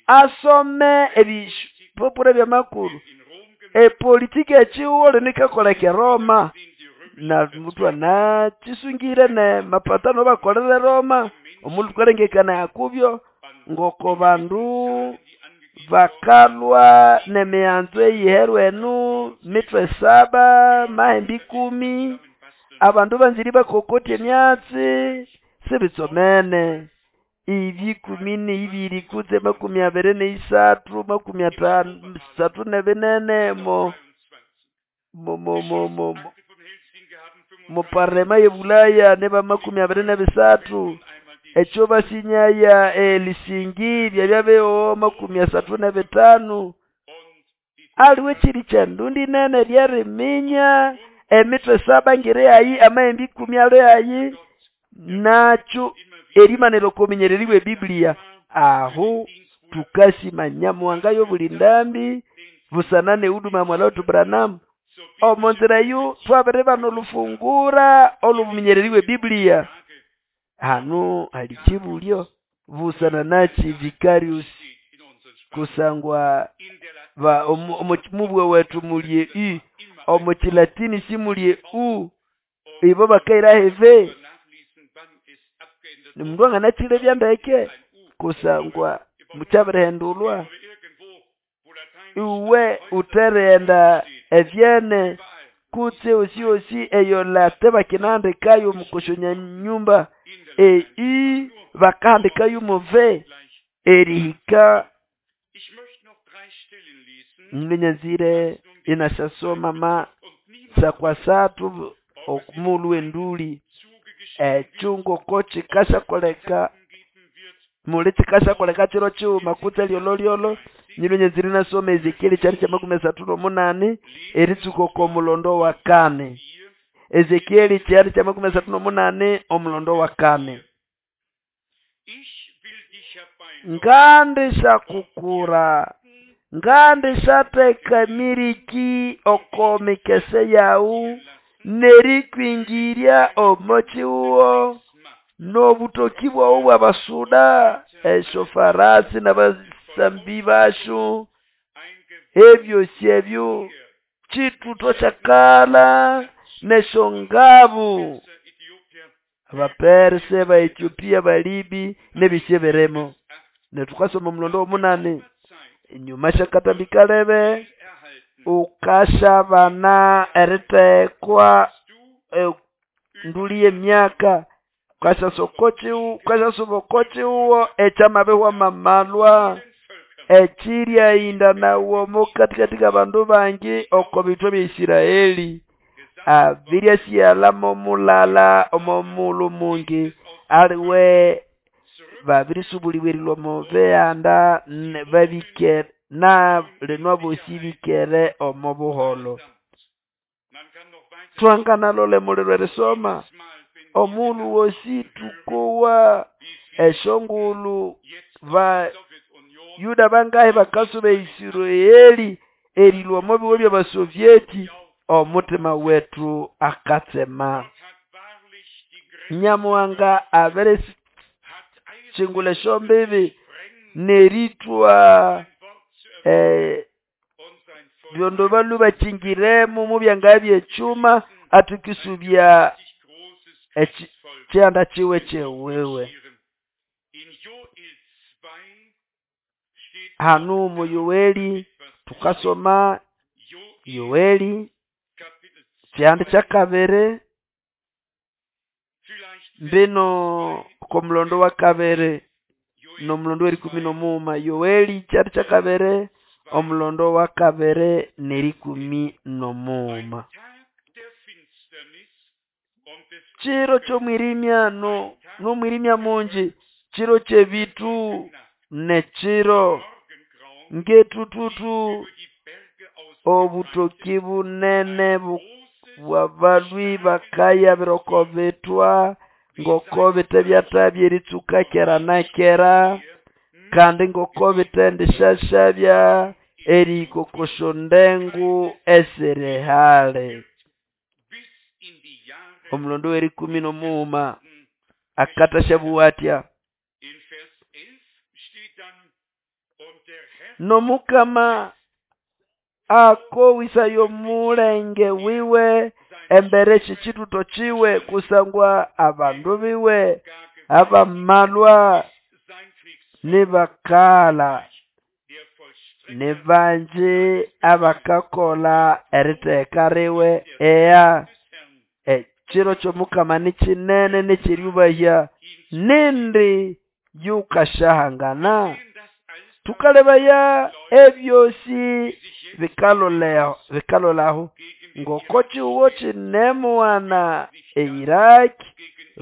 asome ebipapura by'amakuru epolitika y'ekihugo lino yikakoleka eRoma na muthu anakisungire n'amapatano awabakolera eRoma omundu thukalengekanaya kubyo ngoko bandu bakalhwa n'emighanzo eyiherwa eno mithwe saba mahembe ikumi abandu banzire ibakokotya emyatsi sibitsomene ibikumi n'ibiri kutse makumi abiri n'isathu makumi athanu isathu n'ebinene mo mo mo mo mo mo parlema y'ebulaya niba makumi abiri n'ebisathu ekyo basinyaya eHelsinki byabya bighoho makumi asathu n'ebithanu aliwe kiri kyendundi nene lyeriminya emithwe saba ngiri hayi amahembe ikumi ali hayi nakyo erimanira oko buminyereri bwe Biblia aho tukasima Nyamuhanga y'obuli ndambi busana n'ehuduma ya mwala wetu Branham omo nzira eyo twabiribana olufungura olw'obuminyereri bwe Biblia. Hanu hali kibulyo busana naki Vicarius kusangwa ba omo mubwe wetu mulye i omo kilatini simulye u ibo bakaira heve nimundu anganakile byandeke kusangwa mukyabirihendulwa iwe uterenda evyene kutse osi osi eyo late bakinahandikayo mukoshonya nyumba ei bakahandikayo muve erihika nyanzire inasyasoma ma sakwasathu Omugulu w'endũlĩ ekyo ngoko kikasyakoleka muli kikasyakoleka kiro kighuma kutse lyololyolo. Nyilwe nyanzire inasoma Ezekieli kyanda kyamakumi asathu n'omunani eritsuka oko mulondo wa kani. Ezekieli kyanda kyamakumi asathu n'omunani omulondo wa kani. Ngandishyakukura, ngandisyatheka emiriki oko mikese yaghu n'erikwingirya omo kihugo n'obutoki bwaghu bw'abasuda, esyofarasi n'abasambi basyo, ebyosi ebyo kituto kyakalha n'esyongabu. Abaperse, Abaethiopia, Abalibi n'ebyosi ebirimo. Neryo thukasoma omulondo w'omunani, enyuma sy'akatambi kalebe ukasyabana eritekwa enduli y'emyaka, wukasyasuba oko kihugo ekyamabihwa mw'amalwa, ekiryahĩndanawa omo katikati k'abandu bangi oko bithwa bya Isiraeli. Abiryasighalha mo mulala omo mughulhu mungi aliwe babirisubulibwa erilhwa omo bihanda babĩkere na lino abosi bĩkere omo buholho. Twanganalola emuliro erisoma omughulhu wosi thukowa esyongulhu ba Yuda bangahi bakasuba e Isiraeli erilhwa omo bihugho by'Abasovyeti, omuthima wethu akatsema. Nyamuhanga abirikyingulha esyombibi n'erithwa ebyondo balhwe bakyingiremo mobyangabya by'ekyuma athikisubya ekihanda kiwe ky'ewiwe. Hanu omo Yoeli thukasoma Yoeli kyihanda kyakabiri mbino oko mulondo wakabiri n'omulondo w'erikumi n'omughuma. Yoeli kyihanda kyakabiri omulondo wakabiri n'erikumi n'omughuma. Kiro ky'omwirimya n'omwirimya mungi, kiro ky'ebithu n'ekiro ng'ethuthuthu, obutoki bunene bw'abalhwi bakayabira oko bithwa ngoko bite byathabya eritsuka kera na kera, kandi ngoko bithendisyasyabya erihika oko syondengu esiri hali. Omulondo w'erikumi n'omughuma akathasyabuwa athya: N'omukama akowisaya omulenge wiwe embere sy'ekituto kiwe kusangwa abandu biwe abamalwa nibakaghala, nibangi abakakolha eritegeka liwe. Eya, ekiro ky'omukama ni kinene n'eky'erĩũbahya, nindi yukasyahangana? Thukalebaya ebyosi bikalolaho ngoko kihugo kinemughana e Iraq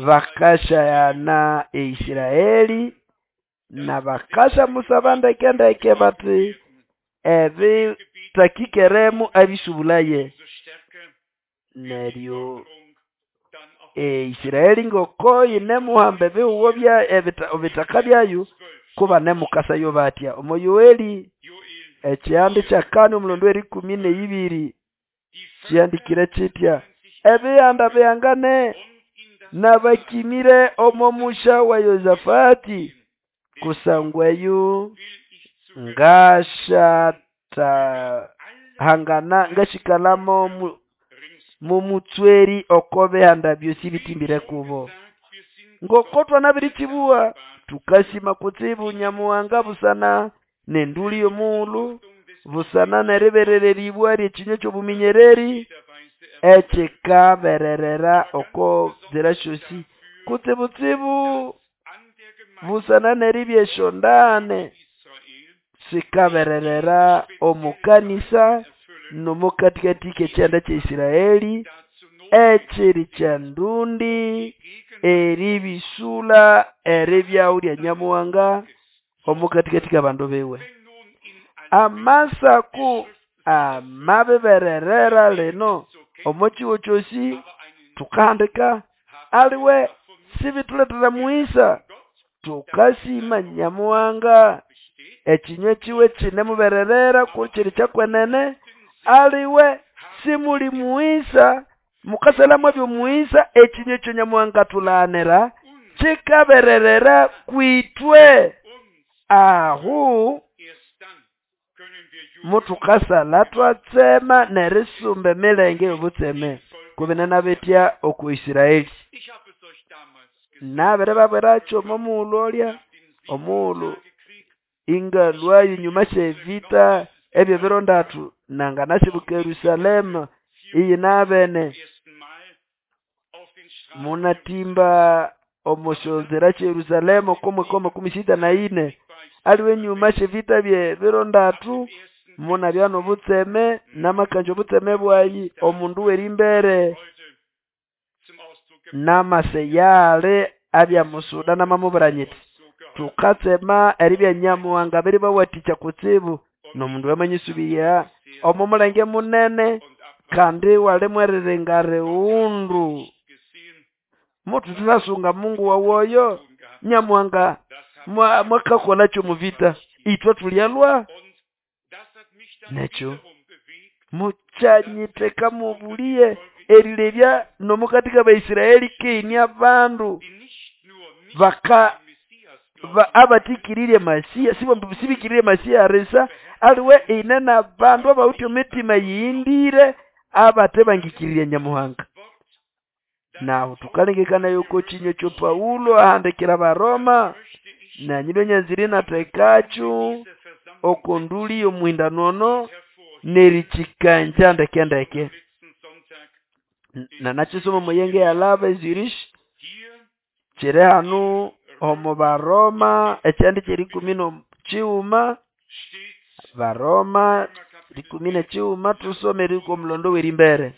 bakasyahana e Isiraeli n'abakasyamusaba ndeke-ndeke bathi ebithakikeremo abĩsũbũlaye. Neryo e Isiraeli ngoko yinemuhamba ebihugo ebithaka byayo kubanemukasayo bathya. Omo Yoeli ekihanda kyakani omulondo w'erikumi n'eyibiri kihandikire kithya: Ebihanda bihangane n'abakĩmĩre omo musya wa Yosafati, kusangwa eyo ngasyathahangana ngasĩkalamo momũtswerĩ oko bihanda byosi ebĩtĩmbĩre kubo. Ngoko twanabirikibuwa, thukasima kutsibu Nyamuhanga busana n'endũlĩ y'omughulhu, busana n'eriberererĩbwa ly'ekinywa ky'obũmĩnyererĩ ekikabererera oko nzira syosi. Kutsibutsibu busana n'eribya esyondane sikabererera omo kanisa n'omo katikati k'ekihanda kya Isiraeli. Ekiri ky'endundi eribĩsũla eribyaho lya Nyamuhanga omo katikati k'abandu biwe. Amasako amabibererera lino omo kihugo kyosĩ tukahandika aliwe sibithuletera mughisa. Tukasima Nyamuhanga ekinywa kiwe kinemubererera kukiri kyakwenene aliwe simuli mughisa mukasalha mwabya omughisa ekinywa ekyo Nyamuhanga athulaghanira kikabererera kwitwe. Ahu mutukasalha twatsema nerisumba emilenge y'obutseme kubinene bitya oku Israeli. Nabiribabwirako omo mughulhu olya omughulhu ingalhwayo enyuma sy'evita eby'ebiro ndatu nanganasibuka eYerusalema iyinabene munatimba omo syonzira sye Yerusalema oko mwaka wa makumi sita na ine aliwe enyuma sy'evita by'ebiro ndatu munabya n'obutseme namakangya obutseme bwayi omundu w'erimbere namasa eyali abya musuda namamubwira nyithi tukatsema eribya Nyamuhanga abiribawathikya kutsibu n'omundu amanyisubirya omo mulenge munene kandi iwali mweriringa righundu muthuthinasunga Mungu wawu oyo Nyamuhanga mwakakolha omu vita ithwe thulyalwa nekyo mukyanyitheka mw'obuliye erilebya n'omukati k'Abaisraeli kiine abandu baka abathikiririe Masiya sibikiririe Masiya erisa aliwe ine n'abandu abawithe emitima eyighindire abathebangikirirya Nyamuhanga. Nahu thukalengekanaya oko kinywa ekyo Paulo ahandikira Abaroma nanyinwe nyanzire inathekakyo oko nduli y'omuhindano ono n'erikikangya ndeke ndeke. Nanakisoma omo yenge eyalhaba e Zurich kiri hanu omo Baroma ekyihande ky'erikumi n'ekighuma Baroma rikumi n'ekighuma thusome erihika omulondo w'erimbere.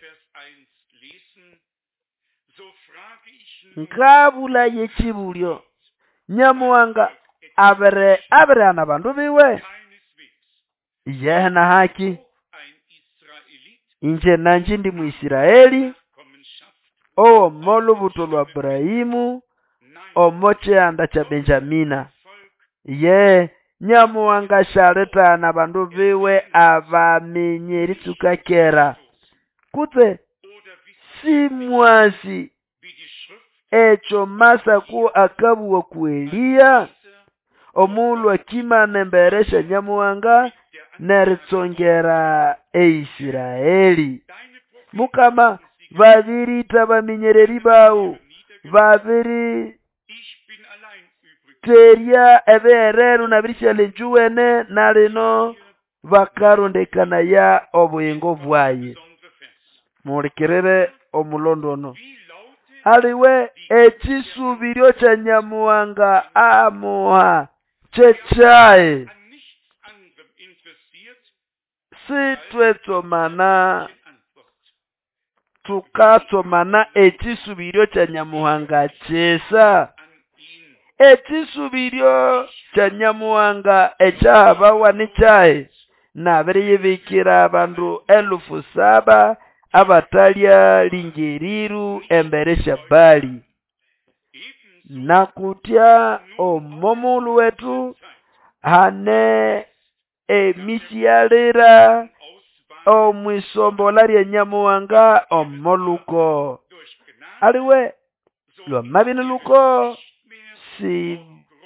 Ngabulaya ekibulyo Nyamuhanga abere abirighana abandu biwe? Yehe nahaki ingye nangye indi Mwisiraeli owo molubuto lwa Abrahimu omo kihanda kya Benjamina. Ye Nyamuhanga syalithagana abandu biwe abaminya eritsuka kera kutse simwasi ekyo Masako akabuga ku Eliya omughulhu akimana embere sya Nyamuhanga n'eritsongera eIsiraeli. Mukama babiriitha abaminyererĩ bawu babiriterya ebiherero nabirisyalha enjuwene na lino bakarondekanaya obuyingo bwayi. Muhulikirire omulondo ono. Aliwe ekisubiryo kya Nyamuhanga amuha kyekyayi. Sithwetsomana tukatsomana ekisubiryo kya Nyamuhanga kyisa. Ekisubiryo kya Nyamuhanga ekyahabawa nikyahi? Nabiriyibikira abandu 7,000 abatalya lingeriru embere sya Bali. Nakutya omo mughulhu wetu hane emisyalira omwisombolha lya Nyamuhanga omo luko. Aliwe lwamabya ini luko si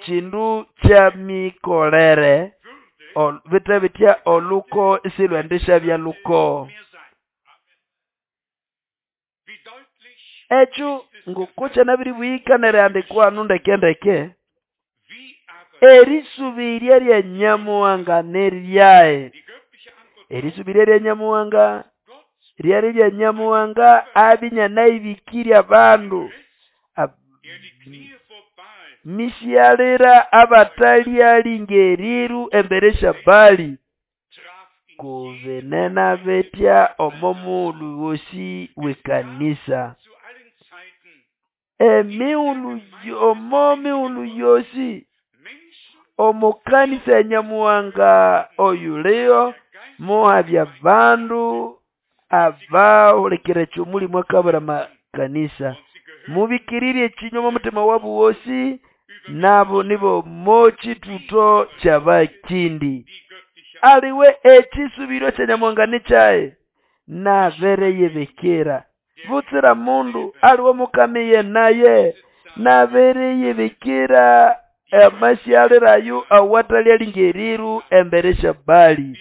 kindu kyamikolere bithe bithya oluko isilhwendisabya luko. Ekyo ngoko kyanabiribuyika n'erihandikwa hanu ndeke ndeke erisubirya lya Nyamuhanga niryahi? Erisubirya lya Nyamuhanga ryali lya Nyamuhanga abya inyanayibikirye abandu misyalira abatalya lingeriru embere sya Bali. Kubinena bitya omo mughulhu ghosi w'ekanĩsa. Emighulhu omo mighulhu yosi omo kanisa ya Nyamuhanga oyuliho muhabya abandu abahulikira ekyo Omulĩmũ akabwira amakanĩsa. Mubĩkĩrĩrye ekĩnywa omo muthima wabo wosi nabo nibomo kĩtũto ky'abakĩndĩ. Aliwe ekĩsũbĩryo kya Nyamuhanga ni kyahi? Nabiriyibikira. Butsira mundu aliwe Omukama iye naye nabiriyibikira amasyalira ayo awathalyalinga erĩrũ embere syabali.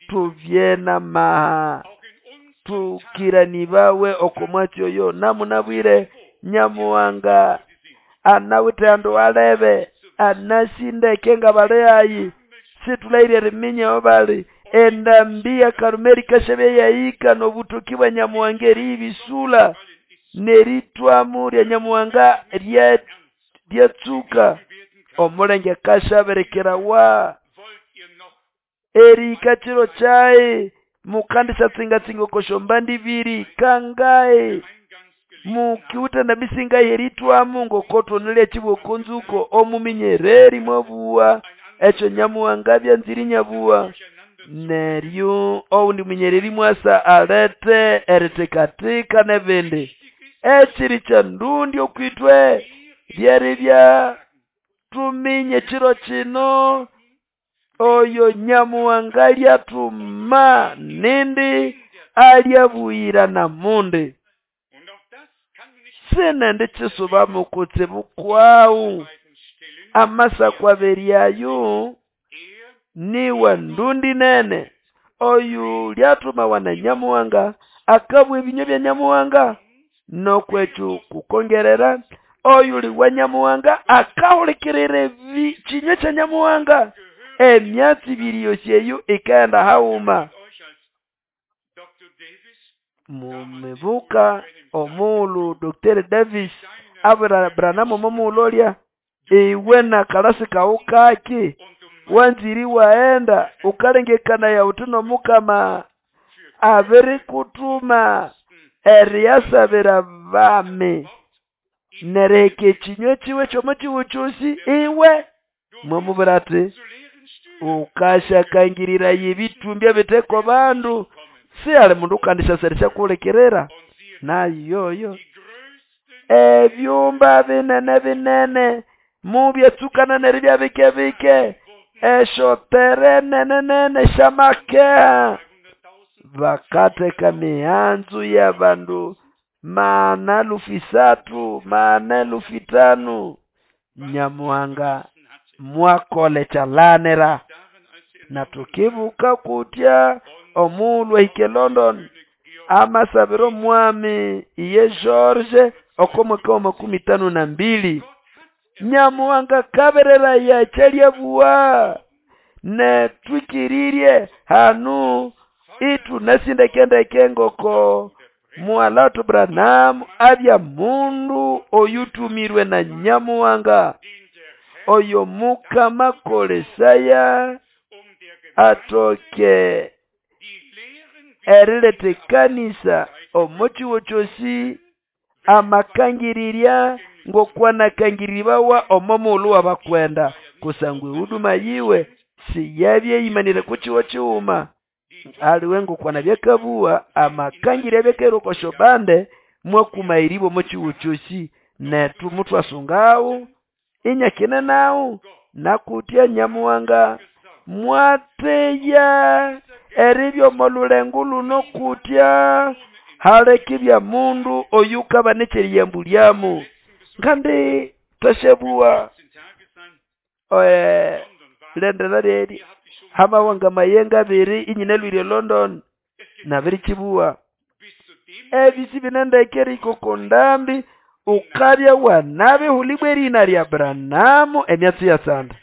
Tubye n'amaha tũkĩranĩbawe oko mwatsi oyo namunabwire Nyamuhanga anawithe ahandu halebe anasindeke ngabali hayi sithulahĩre eriminya aho bali endambi ya Karumeli ikasyabya yahika n'obutoki bwa Nyamuhanga eriyibisũla n'eritwamo lya Nyamuhanga ryatsuka omulenge akasabirikirawa erihika kiro kyahi mukandisatsingatsinga oko syombande ibiri kangahi mukiwithe endambi singahi eritwamo ngoko thonalyakyibugha oko nzuko omuminyererĩ mwabuwa ekyo Nyamuhanga abyanzire inyabuwa neryo owundi munyererĩ mwasa alethe erithikathika n'ebindi. Ekiri kyandundi okwithwe lyeribya tuminye ekiro kino oyo Nyamuhanga alyathuma nindi alyabuyira namundi. Sinendi kisubamu kutsibu kwawu amasako abiri ayo niwa ndundi nene oyu lyathumawa na Nyamuhanga akabugha ebinywa bya Nyamuhanga nokwekyo kukongerera oyuli wa Nyamuhanga akahulikirira kinywa kya Nyamuhanga emyatsi ibiri yosi eyo ikaghenda haghuma. Mumibuka omughulhu Dr. Davis abwira Branham omo mughulhu olya iwe nakalasi kawu kaki wanzire iwaghenda ukalengekanaya wuthi n'Omukama abirikuthuma eriyasabira abami neriheka ekinywa kiwe ky'omo kihugho kyosi iwe mwamubwira ati ukasyakangĩrĩraya ebĩtũmbĩ ebiteko bandu sihali mundu ukandisyasa erisyakuhulikirira nayoyo ebyumba binene binene mubyatsukana neribya bike bike esyotere nene nene syamakeha bakatheka mihanzu y'abandu 4,300 4,500 Nyamuhanga mwakola ekyalanira na tukibuka kutya omughulhu ahika e London amasabira omwami iye George oko mwaka wa 52 Nyamuhanga kabereraya ekyalyabuwa netwikirirye hanu ithunasindekendeke ngoko Muhalatu Branham abya mundu oyutumirwe na Nyamuhanga oyo Mukama akolesaya atoke eriletha ekanisa omo kihugho kyosi amakangirirya ngokwanakangiribawa omo mughulhu w'abakwenda kusangwa ehuduma yiwe siyabya eyimanire ku kihugho kighuma aliwe ngokwanabya akabuwa amakangirya abyakahira oko syobande mwakumayiribwa omo kihugho kyosi nethu muthwasungawo inyakine nawu nakutya Nyamuhanga mwateya eribya omo lulengo luno kutya halekibya mundu oyukabana ekyeriyambulyamu ngandi twasyabuwa lendera lyeri hamawanga mayenga abiri inyinalwire London nabirikibuwa ebisi binendeke erihika oko ndambi ukabya wanabihulibwa erihina lya Branham emyatsi yatsanda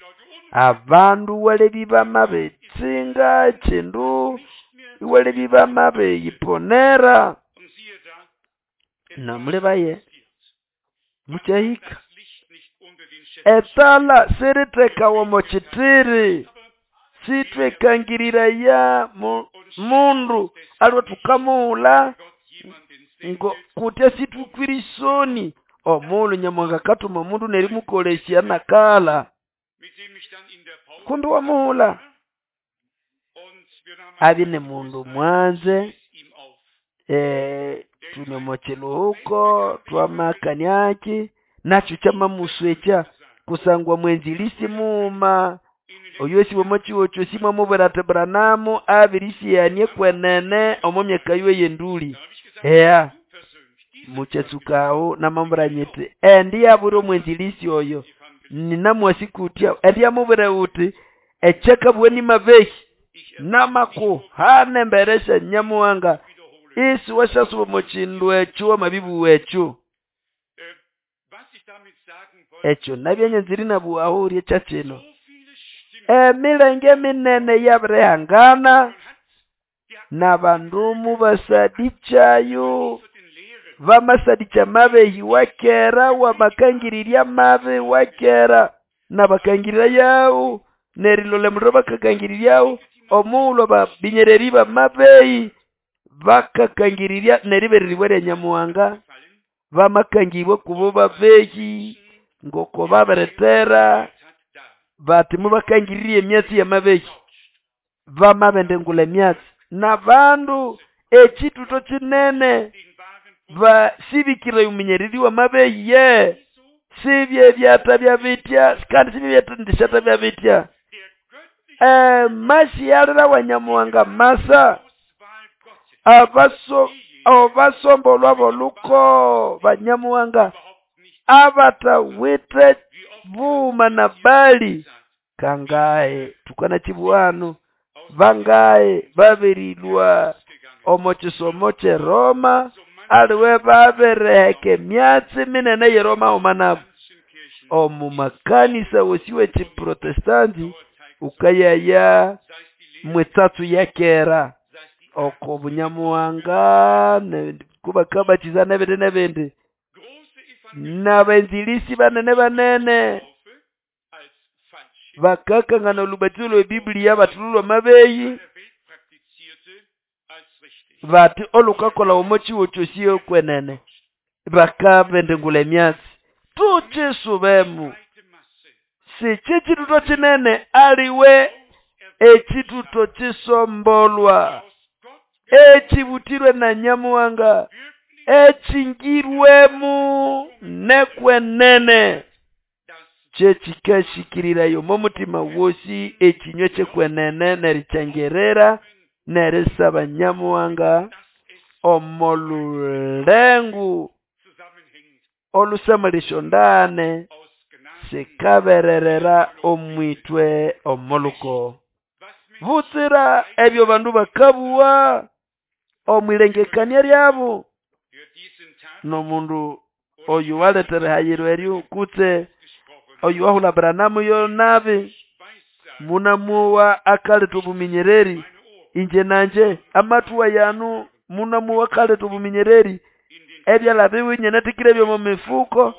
abandu walebi bamabitsinga kindu iwalebi bamabiyiponera namulebaye mukyahika etala sirithekawa omo kithiri. Sitwekangiriraya mundu aliwe tukamughula ngo kutya situkwire isoni omulhu Nyamuhanga akathuma omundu nerimukolesya nakala kumbi wamughula abye ni mundu mwanze tune omo kiluhuko twamakaniaki nakyo kyamamuswekya kusangwa mwenzilisi mughuma oyo osi omo kihugho kyosi mwamubwira ati Branham abirisighania kwenene omo myaka yiwe y'enduli. Eya mukyatsuka aho namamubwira nyiti endi yabwira omwenzilisi oyo ninamwasi kutya endi yamubwira uti ekyakabugha ni mabehi namakuhana embere sya Nyamuhanga isi wasyasuba omo kindu ekyo wamabibugha ekyo. Ekyo nabya nyanzire inabugha aho ryekya kino. Emilenge minene yabirihangana n'abandu mubasadikyayo bamasadikya mabehi wakera wamakangirirya mabi wakera nabakangirira yawu nerilole muliro bakakangiriryawo omughulhu ababinyereri bamabehi bakakangirirya neribereribwa rya Nyamuhanga bamakangibwa kubo babehi ngoko babiretera bati mubakangiririe emyatsi y'amabehi bamabendengula emyatsi n'abandu ekituto kinene basibikire omunyereri w'amabehi ye sibye byata bya bitya kandi sibye byatandishata bya bitya masiyalira wa Nyamuhanga masa abaso obasombolwa boluko banyamuhanga abatawite buma na bali kangae tukana chibuhano bangae babirilwa omo kisomo kye Roma aliwe babireheka emyatsi minene ye Roma omanabo omu makanisa wosiwe chiprotestanti ukayaya mwetsatsu yakera oko bunyamuhanga kubakabachiza nebindi nebindi n'abenzilisi banene banene bakakangana olubatizo lwe Biblia batululwa mabeyi bati olukakola omo kiwo kyosi okwenene bakabendengula emyatsi tukisubemu si kituto kinene aliwe ekituto kisombolwa ekibutirwe na Nyamuhanga ekingirwemu nekwenene kyekikashikirirayo omo mutima wosi ekinywa kyekwenene nerikyangerera nerisaba Nyamuhanga omolulengu olusamalisyo ndane sikabererera omwitwe omoluko butsira ebyo bandu bakabuwa omwilengekania lyabo n'omundu oyo waletere hayiro eryo kutse oyo wahula Branham yo nabi munamuwa akaleta obuminyereri inje nanje amatuwa yanu munamuwa akaleta obuminyereri ebyalabiwe nyenetikire byomu mifuko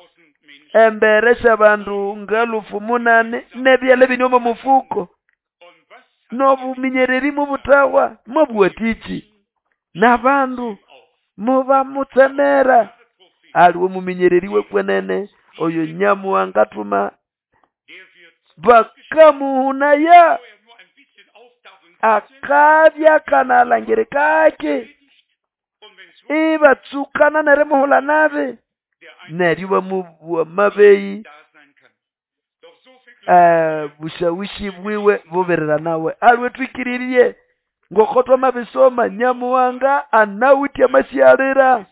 embere syabandu ngalufu munane nebyala bini omu mufuko n'obuminyereri mubutawa mubwatiki n'abandu mubamutsemera aliwe muminyereri wekwenene oyo Nyamuhanga tuma bakamuhunaya akabya kanalangire kake ibatsukana nerimuhula nabi neryo bamubuwa mabeyi bushawishi bwiwe buberera nawe aliwe twikiririe ngoko twamabisoma Nyamuhanga anawitya amasyalira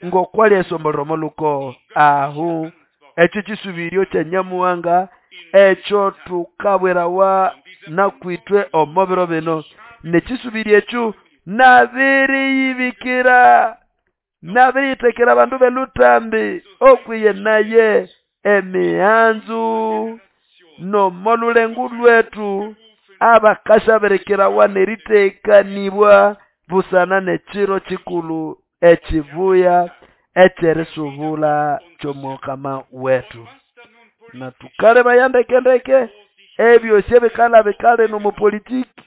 ngokwali esombolero moluko ahu ekyo kisubiryo kya Nyamuhanga ekyo tukabwerawa nakwitwe omo biro bino nekisubiryo ekyo nabiriyibikira nabiriyitekera abandu belutambi okwiye naye emihanzu nomolulengu lwetu abakashaberekerawa neritekanibwa busana nekiro kikulu ekibuya ekyerisubula ky'omukama wetu na tukaleba yandekendeke. Ebyosi ebikalabika lino omo politiki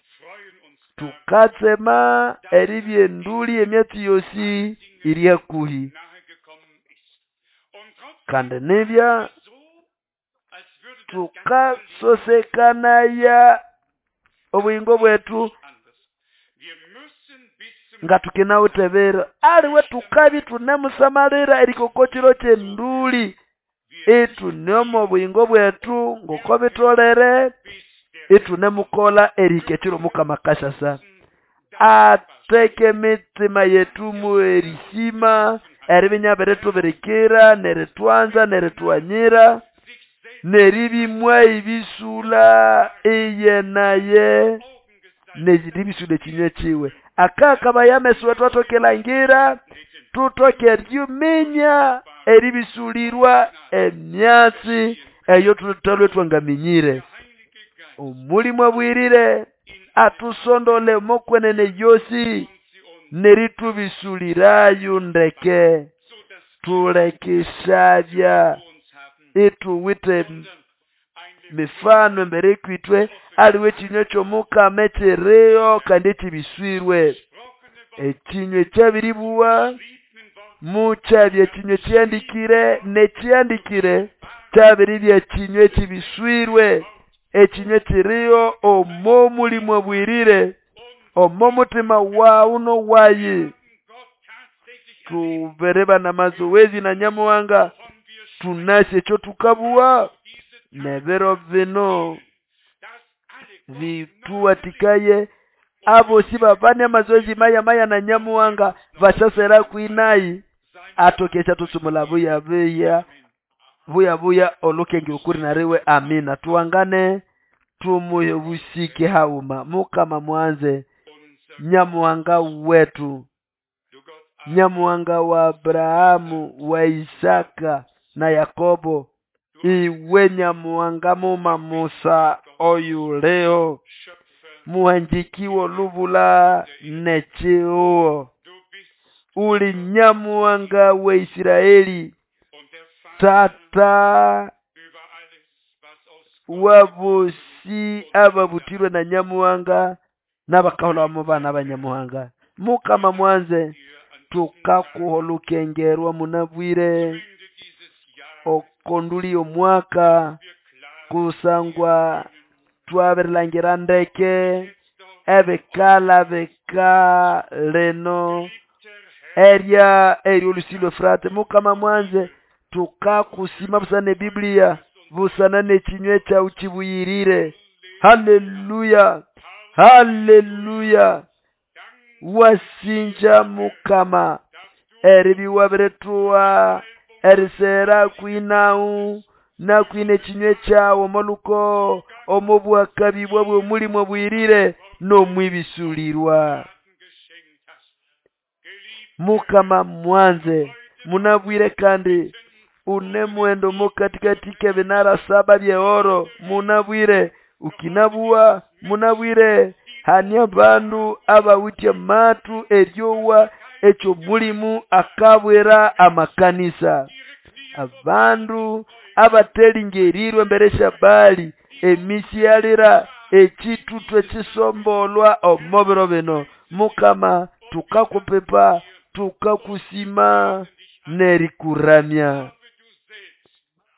tukatsema eribya enduli emyatsi yosi iri hakuhi. Kandi nibya tukasosekanaya obuyingo bwetu nga tukinawithe ebiro. Aliwe tukabya ithunemusamalira erihika oko kiro kyenduli ithune omo buyingo bwetu ngoko bitolere ithunemukolha erihika ekiro Omukama akasyasa. Atheke emitima yethu mwerisima eribya inyabiritubirikira nerithwanza nerithwanyira neribya imwayibisulha iye naye neribisula ekinywa kiwe. Akakabaya ameso wetu athoke erilhangira tuthoke eriminya eribisulirwa emyatsi eyo thuthalhwe ithwangaminyire. Omulimo Abuyirire athusondole omo kwenene yosi nerithubisulirayo ndeke thuleke isyabya ithuwithe mifano embere kwithwe aliwe ekinywa ky'omukama ekiriho kandi ekibiswirwe. Ekinywa ekyabiribuwa mukyabya ekinywa ekihandikire n'ekihandikire kyabiribya ekinywa ekibiswirwe ekinywa ekiriho omo Mulimo Abuyirire omo mutima wawu n'owayi. Tubiribana amazowezi na Nyamuhanga thunasi ekyo thukabuwa n'ebiro bino bithuwathikaye abosi babane amazoezi maya maya na Nyamuhanga basyasera kwinayi athoke esyathutsumula buya buya buya buya olukenge ukuri nariwe. Amina. Tuwangane tumuhe obusike haghuma. Mukama mwanze Nyamuhanga wetu, Nyamuhanga wa Abrahamu, wa Isaka na Yakobo, iwe Nyamuhanga muma Musa oyuliho muhanjiki w'olubula n'ekihugo uli Nyamuhanga wa Isiraeli tata wabosi ababutirwe na Nyamuhanga n'abakaholwa mu bana ba Nyamuhanga. Mukama mwanze tukakuha olukengerwa munabwire okonduli omwaka kusangwa twabirilhangira ndeke ebikalabika lino erya ery'olusi lw'Efurate. Mukama mwanze tukakusima busana n'Ebiblia busana n'ekinywa kyawu kibuyirire. Haleluya, haleluya. Wasinja Mukama eribya iwabirithuha erisera kwinawu nakwina ekinywa kyawu omo luko omo bwakabibwa bw'omulimo obuyirire n'omwibisulirwa. Mukama mwanze munabwire kandi une mwendo mokatikati k'ebinara saba by'ehoro munabwire ukinabuwa munabwire hani abandu abawithe amatu eryowa ekyomulimu akabwira amakanisa. Abandu abatelingerirwe embere syabali emisi yalira ekitutu ekisombolwa omo biro bino. Mukama tukakupipa tukakusima nerikuramya.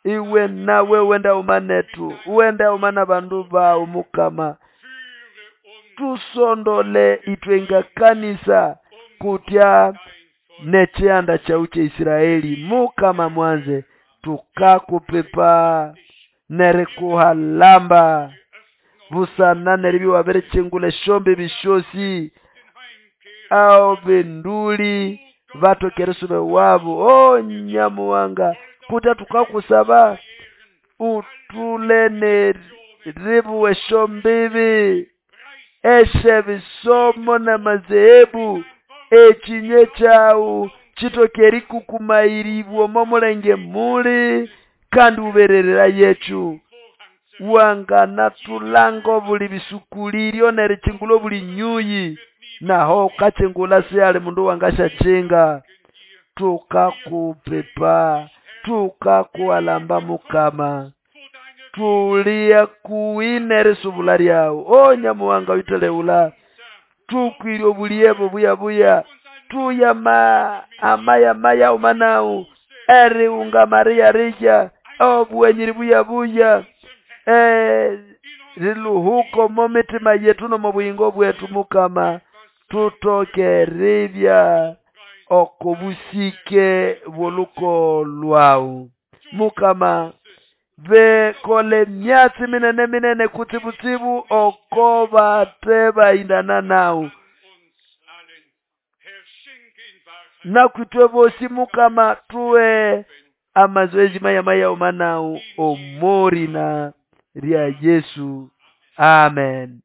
Iwe nawe wenda umanetu wenda umana bandu bawu Mukama tusondole itwe nga kanisa kutya n'ekyanda kyawu kya Isiraeli. Mukama mwanze tukakupipa nerikuhalamba busana neribya wabirikyingula esyombi bisyosi aho benduli bathoke erisuba ewabo. O Nyamuhanga kutya tukakusaba uthule neribuwa esyombibi esyebisomo n'amazehebu ekinywa kyawu kithoke erikukumayiribwa omo mulenge muli kandi wuberererayecu. Wanganathulanga obuli bisukuliryo nerikyingula obuli nyuyi naho ukakyingula sihali mundu wangasyakyinga. Tukakupipa tukakuhalamba Mukama. Tuli hakuhi n'erisubula lyawu. O Nyamuhanga oyutelegula, tukwire obuliye bubuya-buya, tuye amayamaya uma nawu, eriunga mariya-riya, obughanyiri buya-buya, riluhuka omo mitima yetu n'omo buyingo bwetu Mukama, tutoke eribya oko busike bw'olukogo lwawu. Mukama, bekole emyatsi minene minene kutsibutsibu oko bate bahindana nawu. Nakwitwe bosi Mukama, tuwe amazoezi maya-maya uma nawu omorina lya Yesu. Amen.